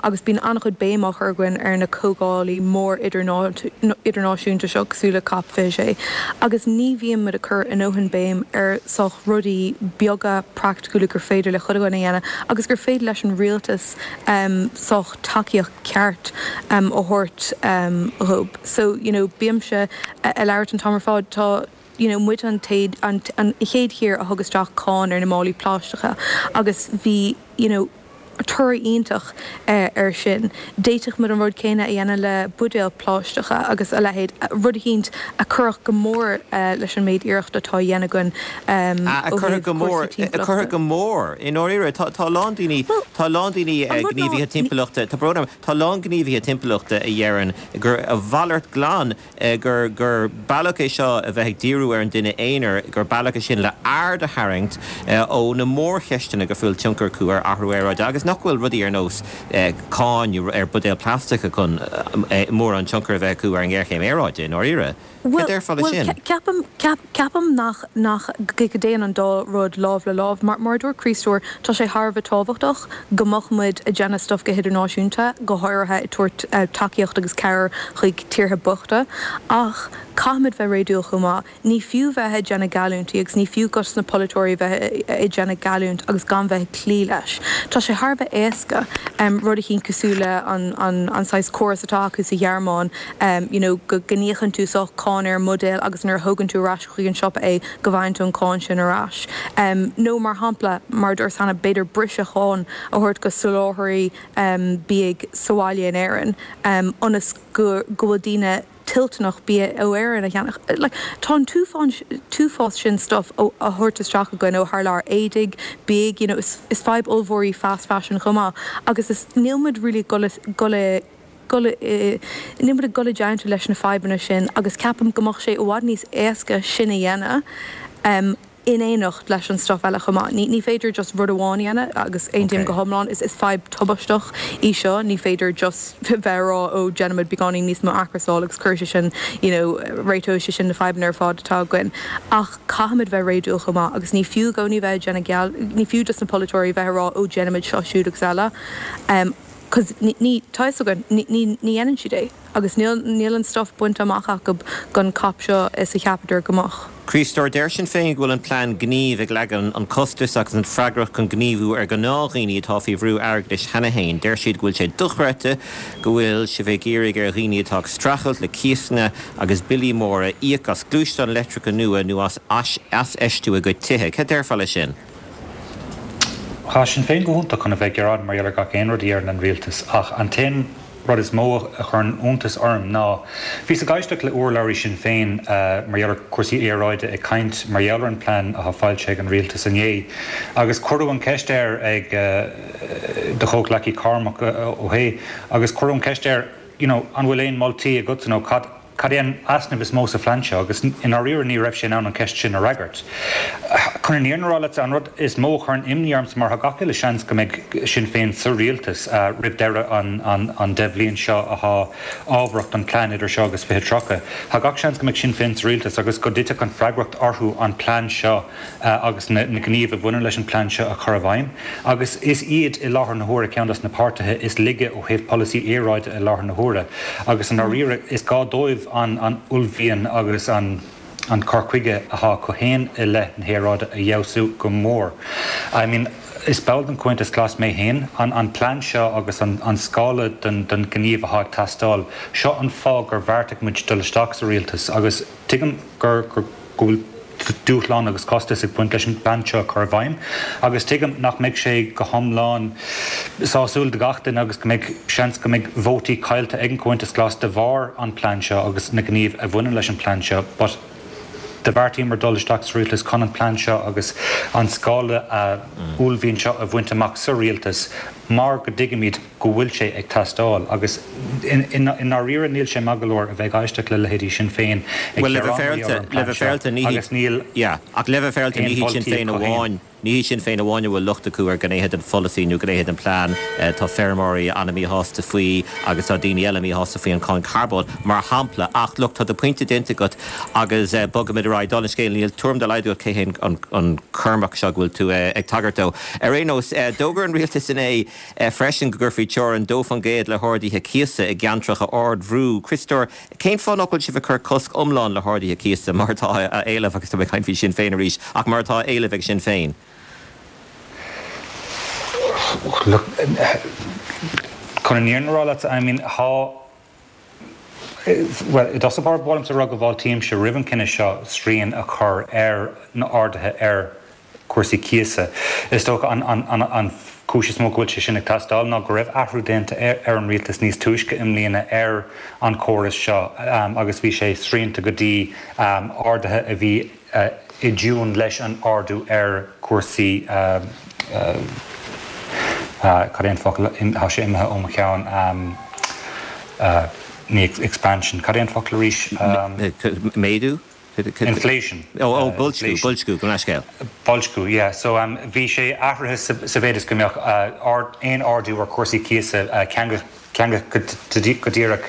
agus bíonn an-chuid béim á chur againn ar na comhdhálaí mór idirnáisiúnta seo cosúil le Cop fiche sé agus ní bhíonn muid ag cur a ndóthain béim ar sách rudaí beaga praiticiúla gur féidir le chuile dhuine a dhéanamh agus gur féidir leis an rialtas sách tacaíocht ceart a thabhairt dhóibh. So, you know, bímse ag labhairt an t-am ar fad, tá, you know, muid an an an chéad thír a thug isteach cáin ar na málaí plaisteacha agus bhí, you know, toradh iontach air sin. D'fhéadfadh muid an rud céanna a dhéanamh le buidéil plaisteacha agus a leithéid, rud eicínt a chuirfeadh go mór leis an méid iarracht atá á dhéanamh againn ó thaobh cúrsaí timpeallachta. A chuirfeadh go mór, i ndáiríre. Tá a lán daoine, tá a lán daoine, gníomhaithe timpeallachta, tá brón orm, tá a lán gníomhaithe timpeallachta a dheireann gur a mhalairt glan, gur gur bealach é seo a bheith ag díriú ar an duine aonair, gur bealach é sin le aird a tharraingt ó na mórcheisteanna go bhfuil tionchar acu ar athrú aeráide agus nach bhfuil rudaí ar nós cáin ar buidéil plaisteacha chun mórán tionchar a bheith acu ar an ngéarchéim aeráide i ndáiríre. Cad déarfá leis sin? Ceapaim, ceapaim nach, nach, go dtéann an dá rud lámh le lámh. Mar, mar a dúirt Críostóir, tá sé thar a bheith tábhachtach go mbeadh muid ag déanamh stuff go hidirnáisiúnta, go háirithe ag tabhairt tacaíocht agus cabhair chuig tíortha bochta. Ach caithfimid bheith réadúil chomh maith. Ní fiú bheith ag déanamh geallúintí agus ní fiú dos na polaiteoirí bheith ag déanamh geallúint agus gan bheith ag cloí leis. Tá sé thar a bheith éasca rud eicínt cosúil le an an saghas córas atá acu sa Ghearmáin you know go n-íocann tú sách cáin ar an mbuidéal agus nuair a thugann tú ar ais chuig an siopa é go bhfaigheann tú an cáin sin ar ais. Nó mar shampla, mar a dúirt cheana, b'fhéidir briseadh cháin a thabhairt go soláthraí bídh sa bhaile in Éirinn ionas go go bhfuil daoine toilteanach bia ó Éirinn a cheannach. Like, tá an t-uafás sin stuff á thabhairt isteach againn ó thar lear, éadaigh, bídh, you know, is is fadhb ollmhór í fast fashion chomh maith agus is níl muid really ag dul dul i dul i níl muid ag dul i dteannta leis na fadhbanna sin agus ceapaim go mbeadh sé i bhfad níos éasca sin a dhéanamh in éineacht leis an stuff eile chomh maith. Ní ní féidir just rud amháin a dhéanamh agus aontaím go hiomlán, is is fadhb tubaisteach í seo, ní féidir just bheith ag rá ó déanaimid beagáinín níos mó athchúrsáil agus cuirfidh sé sin you know réiteoidh sé sin na fadhbanna ar fad atá againn. Ach caithfimid bheith réadúil chomh maith agus ní fiú i gcónaí bheith ag déanamh geall, ní fiú dos na polaiteoirí bheith ag rá ó déanaimid seo siúd agus eile. Cos ní, ní, tá fhios againn, ní, ní, ní dhéanann siad é agus níl, níl an stuff bainte amach acu don COP seo is a cheapadar go mbeadh. Críostóir, deir Sinn Féin go bhfuil an plean gnímh ag leagan an costas agus an freagracht chun gníomhú ar ghnáthdhaoine atá faoi bhrú airgeadais cheana féin. Deir siad go bhfuil sé dochreidte go bhfuil sibh ag iarraidh ar dhaoine atá ag streachailt le cíosanna agus billí móra íoc as gluaisteáin leictreacha nua nó as aisfheistiú a gcuid tithe. Cad déarfá leis sin? Tá Sinn Féin go hiontach chun a bheith ag gearán mar gheall ar gach aon rud a deireann an rialtas ach an t-aon rud is mó a chuireann iontas orm ná bhíos ag éisteacht le urlabhraí Sinn Féin mar gheall ar chúrsaí aeráide ag caint mar gheall ar an plean atá foilsithe ag an rialtas inné agus cuireadh an ceist air ag do chomhghleacaí Cormac Ó hAodha agus cuireadh an ceist air you know an bhfuil aon moltaí agatsa nó cad Cad é an easnamh is mó sa phlean seo? Agus i ndáiríre ní raibh sé in ann an ceist sin a fhreagairt. Chun an fhírinne a rá leatsa, an rud is mó a chuireann imní ormsa mar tá gach uile seans go mbeidh Sinn Féin sa rialtas roimh deireadh an deich bhliain seo atá ábharach don plean idir seo agus fiche tríocha. Tá gach seans go mbeidh Sinn Féin sa rialtas agus go dtitfeadh an freagracht orthu an plean seo agus na gnímh a bhaineann leis an plean seo a chur i bhfeidhm. Agus is iad i láthair na huaire ceann dos na páirtithe is laige ó thaobh polasaí aeráide i láthair na huaire. Agus i ndáiríre is gá dóibh an uaillmhian agus an cur chuige atá acu féin i leith na haeráide a fheabhsú go mór. I mean, is ball den Chomhaontas Glas mé féin. An plean seo agus an scála den ghníomh atá ag teastáil, seo an fáth gur bheartaigh muid dul isteach sa rialtas agus tuigim gur go bhfuil dúshlán agus costas ag baint leis an bplean seo a chur i bhfeidhm agus tuigim nach mbeidh sé go hiomlán sásúil do gach duine agus go mbeidh seans go mbeidh vótaí caillte ag an Chomhaontas Glas de bharr an plean seo agus na gnímh a bhaineann leis an plean seo but do bheartaíomar dul isteach sa rialtas chun an plean seo agus an scála uaillmhian seo a bhaint amach sa rialtas mar go dtuigimid go bhfuil sé ag teastáil agus i ndáiríre níl sé maith go leor a bheith ag éisteacht le leithéidí Sinn Féin ag Bhuel, le bheith gearán mar gheall ar féaráilte, an le bplean bheith seo féaráilte, ní agus níl yeah, ach le bheith féaráilte, ní aon hiad Sinn mholtaí Féin acu féin. amháin, ní hiad Sinn Féin amháin a bhfuil locht acu ar ghnéithe den pholasaí nó gnéithe den plean. Tá feirmeoirí an-mhíshásta faoi agus tá daoine eile míshásta faoi an cáin carbóin, mar shampla. Ach look, tá do phointe déanta agat agus bogfaimid ar aghaidh. Dála an scéil, níl tuairim dá laghad agat cé hé an an Cormac seo go bhfuil tú ag tagairt dó. Ar aon nós, d'fhógair an rialtas inné freisin go gcuirfí teorainn dó faoin gcéad le harduithe cíosa i gceantracha ardbhrú. Críostóir, cén fáth nach bhfuil sibh ag cur cosc iomlán le harduithe cíosa mar atá á éileamh, agus tá mé ag caint faoi Sinn Féin arís, ach mar atá á éileamh ag Sinn Féin? Look, chun an fhírinne a rá leat, I mean, tá, bhuel, i dtosach báire, ba mhaith liomsa a rá go bhfáiltímse roimh an chinneadh seo srian a chur ar na arduithe ar chúrsaí cíosa. Is dócha an, an, an, an cúis is mó go bhfuil sé sin ag teastáil ná go raibh athrú déanta ar an rialtas níos túisce i mbliana ar an chóras seo agus bhí sé srianta go dtí arduithe a bhí i dtiúin leis an ardú ar chúrsaí cad é an focal tá sé imithe ó mo cheann ní expansion cad é an focal arís? Méadú? Inflation. Ó, ó, boilsciú, boilsciú, gabh mo leithscéal. Boilsciú, yeah. So um, bhí sé athraithe sa, sa mhéid is go mbeadh uh, ard, aon ardú ar cúrsaí cíosa uh, ceangailte go díreach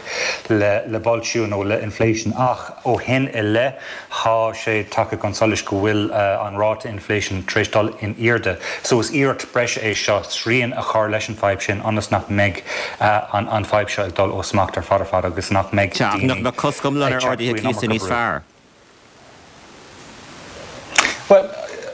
le, le boilsciú nó le inflation ach ó shin i leith tá sé tagtha chun solais go bhfuil uh, an ráta inflation tar éis dul in airde. So is iarracht breise é seo srian a chur leis an fadhb sin ionas nach mbeidh uh, an, an fadhb seo ag dul ó smacht ar fad ar fad agus nach mbeidh Sea, nach mbeadh cosc iomlán ar arduithe cíosa níos fearr. Well,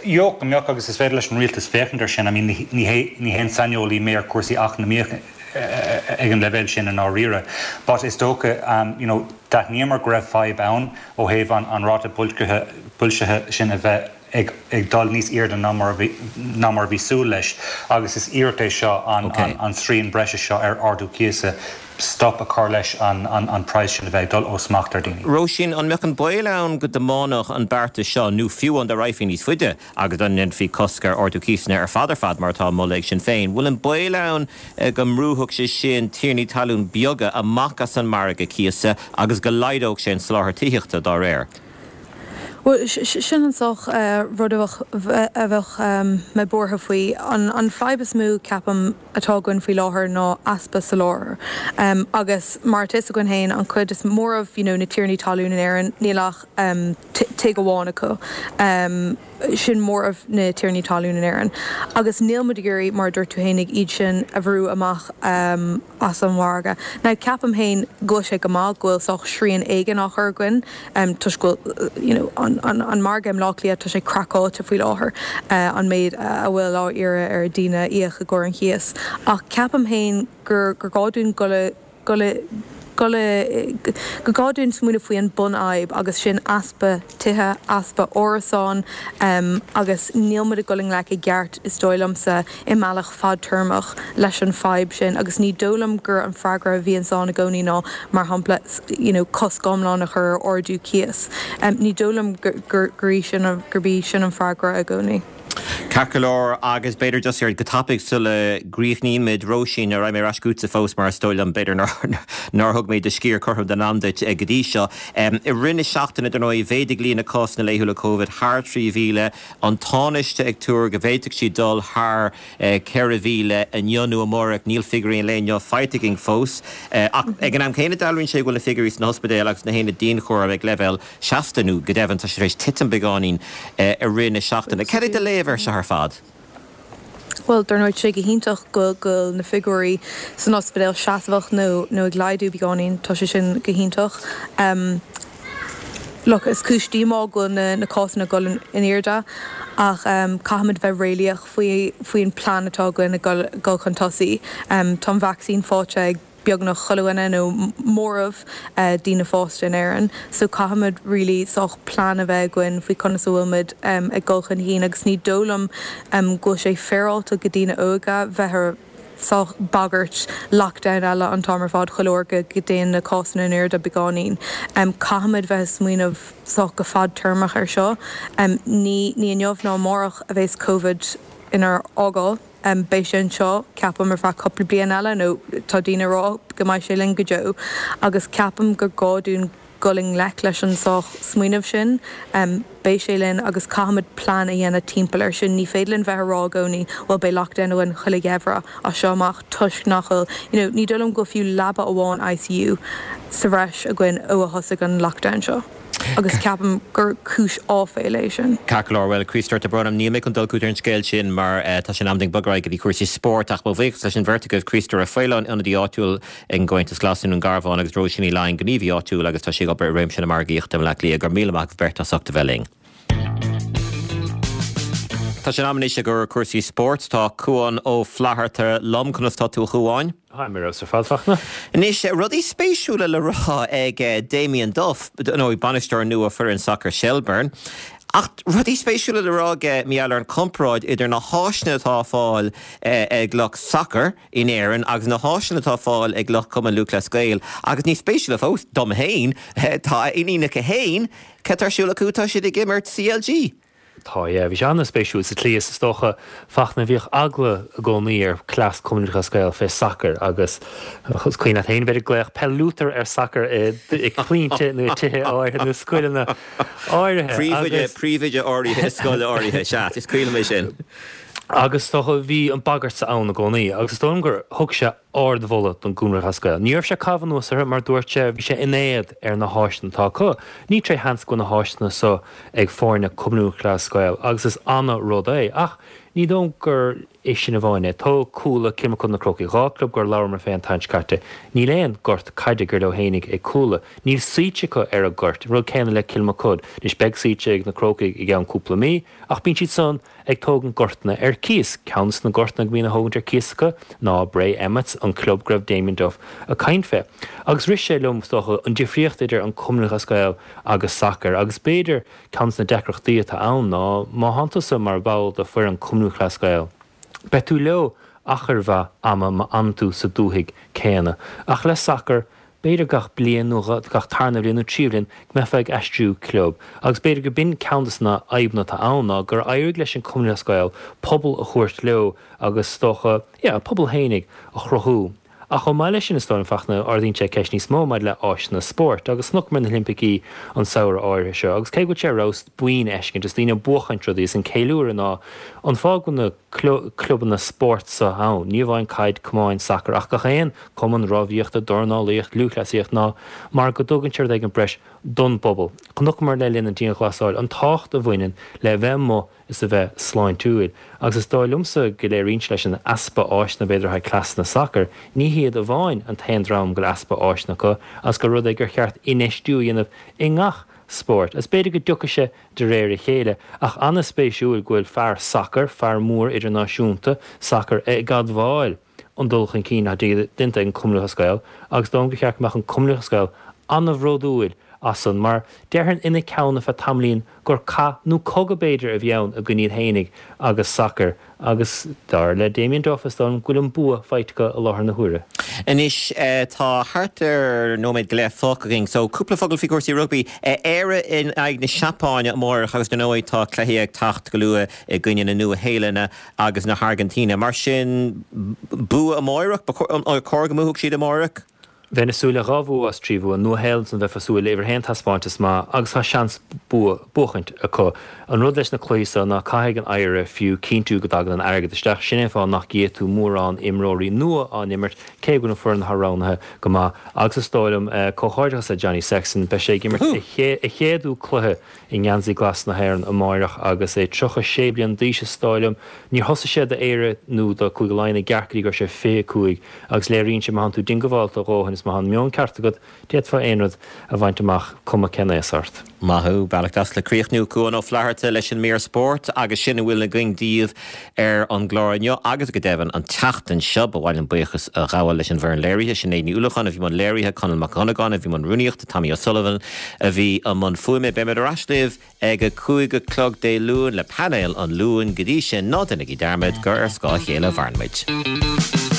jo go mbeadh agus is féidir leis an rialtas féachaint air sin, I mean, ní hé ní haon saineolaí mé ar cúrsaí eacnamaíoch ag an leibhéal sin i ndáiríre. But is dócha um, you know, d'aithníomar go raibh fadhb ann ó thaobh an, an ráta boilscithe sin a bheith ag, ag dul níos airde ná mar bhí, ná mar bhí súil leis agus is iarracht é seo an, okay. an, an srian breise seo ar ardú cíosa stop a chur leis an, an, an praghas sin a bheith ag dul ó smacht ar daoine. Róisín, an mbeadh an baol ann go dtiomáinfeadh an beartas seo nó fiú an dá raghfaí níos faide agus an ndéanfaí cosc ar ardú cíosanna ar fad ar fad mar atá á mholadh ag Sinn Féin. Bhfuil an baol ann go mbrúfadh sé sin tiarnaí talún beaga amach as an margadh cíosa agus go laghdódh sé an soláthar tithíochta dá réir? Bhuel, sin an sórt rud a bheadh mé buartha faoi. An fadhb is mó, ceapaim, atá againn faoi láthair ná easpa soláthair. Agus mar atá a fhios againn féin, an chuid is móramh you know na tiarnaí talún in Éirinn, níl ach tigh amháin acu. Sin móramh na tiarnaí talún in Éirinn. Agus níl muid ag iarraidh, mar a dúirt tú fhéinig, iad sin a bhrú amach as an mhargadh. Now, ceapaim féin go bhfuil sé go maith go bhfuil sórt srian éigin á chur againn toisc go bhfuil you know an an an margadh i mBleá Cliath, tá sé craiceáilte faoi láthair, an méid a bhfuil á iarraidh ar daoine íoc i gcomhair an chíos. Ach ceapaim féin gur gur gá dúinn dul i dul i dul i gur gá dúinn smaoineamh faoi an bunfhadhb agus sin easpa tithe, easpa árasán agus níl muid ag dul i ngleic i gceart is dóigh liomsa i mbealach fadtéarmach leis an fadhb sin agus ní dóigh liom gur an freagra a bhíonns ann i gcónaí ná mar shampla you know cosc iomlán a chur ar ardú cíos. Ní dóigh liom gur gur í sin gurb í sin an freagra i gcónaí. Ceart go leor, agus b'fhéidir just ar go tapaidh sula gcríochnaímid, Róisín, raghaidh mé ar ais chugatsa fós mar is dóigh liom b'fhéidir nár thug mé do sciar cothrom den am duit go dtí seo. I rith na seachtaine, dar ndóigh, mhéadaigh líon na cásanna laethúla Covid thar trí mhíle, an Tánaiste ag tuar go bhféadfadh siad dul thar ceithre mhíle inniu nó amárach, níl figiúirí an lae inniu faighte againn fós. Ach ag an am céanna dealraíonn sé go bhfuil na figiúirí sna hospidéil agus sna haonaid dianchúraim ag leibhéal seasta nó go deimhin tá sé tar éis titim beagáinín i rith na seachtaine. Cad é do léamh air seo ar fad? Bhuel, dar ndóigh, tá sé go hiontach go bhfuil na figiúirí san ospidéal seasmhach nó nó ag laghdú beagáinín, tá sé sin go hiontach. Look, is cúis díomá go bhfuil na na cásanna ag dul in airde ach caithfimid bheith réalaíoch faoi faoin plean atá againn ag dul chun tosaigh. Tá an vacsaín faighte ag beagnach chuile dhuine nó móramh daoine fásta in Éirinn so caithfimid really sórt plean a bheith againn faoi conas a bhfuil muid ag dul chun cinn agus ní dóigh liom go bhfuil sé féaráilte go daoine óga bheith ar sórt bagairt lockdown eile an t-am ar fad chuile uair go dtéann na cásanna in airde beagáinín. Caithfimid bheith ag smaoineamh sórt go fadtéarmach ar seo. Ní ní inniu ná amárach a bheas Covid inár fhágáil. Beidh sé anseo, ceapaim, ar feadh cúpla bliain eile, nó tá daoine ag rá go mbeidh sé linn go deo, agus ceapaim gur gá dúinn dul i ngleic leis an sórt smaoineamh sin. Beidh sé linn agus caithfimid plean a dhéanamh timpeall air sin. Ní féidir linn bheith ag rá i gcónaí, bhuel, beidh lockdown againn chuile gheimhreadh as seo amach toisc nach bhfuil, you know, ní dóigh liom go bhfuil fiú leaba amháin ICU sa bhreis againn ó a thosaigh an lockdown seo. Agus ceapaim gur cúis áiféala é sin. Ceart go leor, bhuel, Críostóir, tá brón orm, níl mé chun dul chugat ar an scéal sin mar tá sé in am dúinn bogadh ar aghaidh go dtí cúrsaí spóirt ach mo bhuíochas leis an bheirt agaibh, Críostóir Ó Faoláin, ionadaí áitiúil ag an gComhaontas Glas i nDún Garbhán agus Róisín Ní Laighin, gníomhaí áitiúil agus tá sí ag obair i réimse na margaíochta i mBleá Cliath. Go raibh míle maith agaibh beirt as ucht a bheith linn. Tá sé in am anois i gcomhair cúrsaí spóirt. Tá Cuán Ó Flatharta liom. Conas tá tú a Chuáin? Táim ar fheabhas ar fad, Fachtna. Anois, rudaí spéisiúla le rá ag Damien Duff, nó bainisteoir nua foireann sacair Shelbourne. Ach rudaí spéisiúla le rá aige mar gheall ar an chomparáid idir na háiseanna atá ar fáil ag lucht sacair in Éirinn agus na háiseanna atá ar fáil ag lucht Cumann Lúthchleas Gael. Agus níos spéisiúla fós, dom féin, tá a iníonacha féin, cad tá ar siúl acu, tá siad ag imirt CLG. Tá, yeah. Bhí sé an-spéisiúil sa tslí is is dócha Fachtna bhíodh eagla i gcónaí ar cleas Cumann Lúthchleas Gael fé sacar agus is cuimhin leat féin bheith ag glaoch peil Luther ar sacar i gcluinte nó i tithe áirithe nó scoileanna áirithe. Príomhoide, príomhoide áirithe i scoil áirithe, sea, is cuimhin liom é sin. Agus is dócha bhí an bagairt ann i gcónaí agus is dóigh liom gur thug sé ardmholadh don gCumann Lúthchleas Gael. Ní raibh sé ag caitheamh anuas orthu mar dúirt sé bhí sé in éad ar na háiseanna atá acu. Ní tré sheans go bhfuil na háiseanna so ag foirne Cumann Lúthchleas Gael agus is ana rud é. Ach ní dóigh liom gur é sin amháin é. Tóg Cuala, Kilmacud na Crócaigh, dhá club gur labhramar fé an tseachtain seo caite. Níl aon gort caide gur leo fhéinig ag Cuala. Níl suite acu ar an gcoirt. An rud céanna le Kilmacud. Anois beidh suite ag na Crócaigh i gceann cúpla mí ach bíonn siad san ag tógaint gortanna ar cíos. Ceann des na gortanna go mbíonn á thógaint ar cíos acu ná Bray Emmets, an club go raibh Damien Duff ag caint fé. Agus rith sé liom, is dócha, an difríocht idir an Cumann Lúthchleas Gael agus sacar agus b'fhéidir ceann des na deacrachtaí atá ann ná má thánn tusa mar bhall de foireann Cumann Lúthchleas Gael, beidh tú leo achar mhaith ama má fhanann tú sa dúthaigh céanna. Ach le sacar, b'fhéidir gach bliain nó gach tarna bhliain nó trí bhliain go mbeifeá ag aistriú club. Agus b'fhéidir go b'in ceann des na fadhbanna atá ann ná gur éirigh leis an Cumann Lúthchleas Gael pobal a thabhairt leo agus is dócha, yeah, a pobal fhéinig a chruthú. Ach chomh maith leis sin is dóigh liom, Fachtna, ardaíonn sé ceist níos mó maidir le áiseanna spóirt agus chonaiceamar na hOilimpicí an samhradh áirithe seo agus cé go bhfuil sé ar fheabhas buíon a fheiscint is daoine ag buachaint rudaí is an ceiliúradh ná an fáth go bhfuil na clubanna spóirt seo ann, ní amháin caid, camáin, sacar ach gach aon cumann rámhaíochta, dornálaíocht, lúthchleasaíocht ná mar go dtugann sé rud éigin breis don bpobal. Chonaiceamar le linn an dianghlasáil an tábhacht a bhaineann le bheith amuigh is a bheith sláintiúil agus is dóigh liomsa go léiríonn sé leis an easpa áiseanna b'fhéidir le haghaidh cleasanna sacair, ní hiad amháin an t-aon dream go bhfuil easpa áiseanna acu agus gur rud é gur cheart infheistiú a dhéanamh i ngach spórt. Is b'fhéidir go dtiocfaidh sé de réir a chéile ach an-spéisiúil go bhfuil fear sacair, fear mór idirnáisiúnta sacair ag admháil an dul chun cinn atá déanta ag an Cumann Lúthchleas Gael agus dóigh liom gur cheart go mbeadh an Cumann Lúthchleas Gael an-bhródúil as san mar déarfainn ina ceann ar feadh tamaillín gur cath nó cogadh b'fhéidir a bhí ann i gcoinne iad fhéinig agus sacar agus dar le Damien Duff is dóigh liom go bhfuil an bua faighte acu i láthair na huaire. Anois tá thart ar nóiméad go leith fágtha againn so cúpla focal faoi chúrsaí rugbaí. Éire in aghaidh na Seapáine amárach agus dar ndóigh tá cluichí ag teacht go luath i gcoinne na Nua-Shéalainne agus na hAirgintíne. Mar sin bua amárach? Ba chóir go mbuafadh siad amárach? Bheinn ag súil le dhá bhua as trí bhua. Nua-Shéalainn san bheifeá ag súil le uimhir a haon taispeántas maith agus tá seans bua buachaint acu. An rud leis na cluichí seo ná caithfidh an Éire fiú cinntiú go dtagann an airgead isteach. Sin é an fáth nach gcífidh tú mórán imreoirí nua á n-imirt cé go bhfuil an foireann atá roghnaithe go maith. Agus is dóigh liom, comhghairdeachas le Johnny Sexton, beidh sé ag imirt a chéadú cluiche i ngeansaí glas na hÉireann amáireach agus é tríocha sé bliain d'aois is dóigh liom. Níor thosaigh sé do Éire nó do Cúige Laighean i gceart go dtí go raibh sé fiche cúig agus léiríonn sé má thánn tú diongbháilte a dhóthain is má tá an meon ceart agat, d'fhéadfá aon rud a bhaint amach, cuma cén aos ort. Maith thú. Bealach deas le críochnú. Cuán Ó Flatharta leis an mír spóirt agus sin a bhfuil againn daoibh ar an gclár inniu agus go deimhin an tseachtain seo. Ba mhaith liom buíochas a ghabháil leis an bhfoireann léirithe, Sinéad Ní Uallacháin a bhí i mbun léirithe, Conall Mac Dhonnagáin a bhí i mbun rúnaíochta, Tommy O'Sullivan a bhí i mbun fuaime. Beimid ar ais libh ag a cúig a chlog Dé Luain le Painéal an Luain. Go dtí sin, ná déanaigí dearmad gur ar scáth a chéile a mhaireann muid.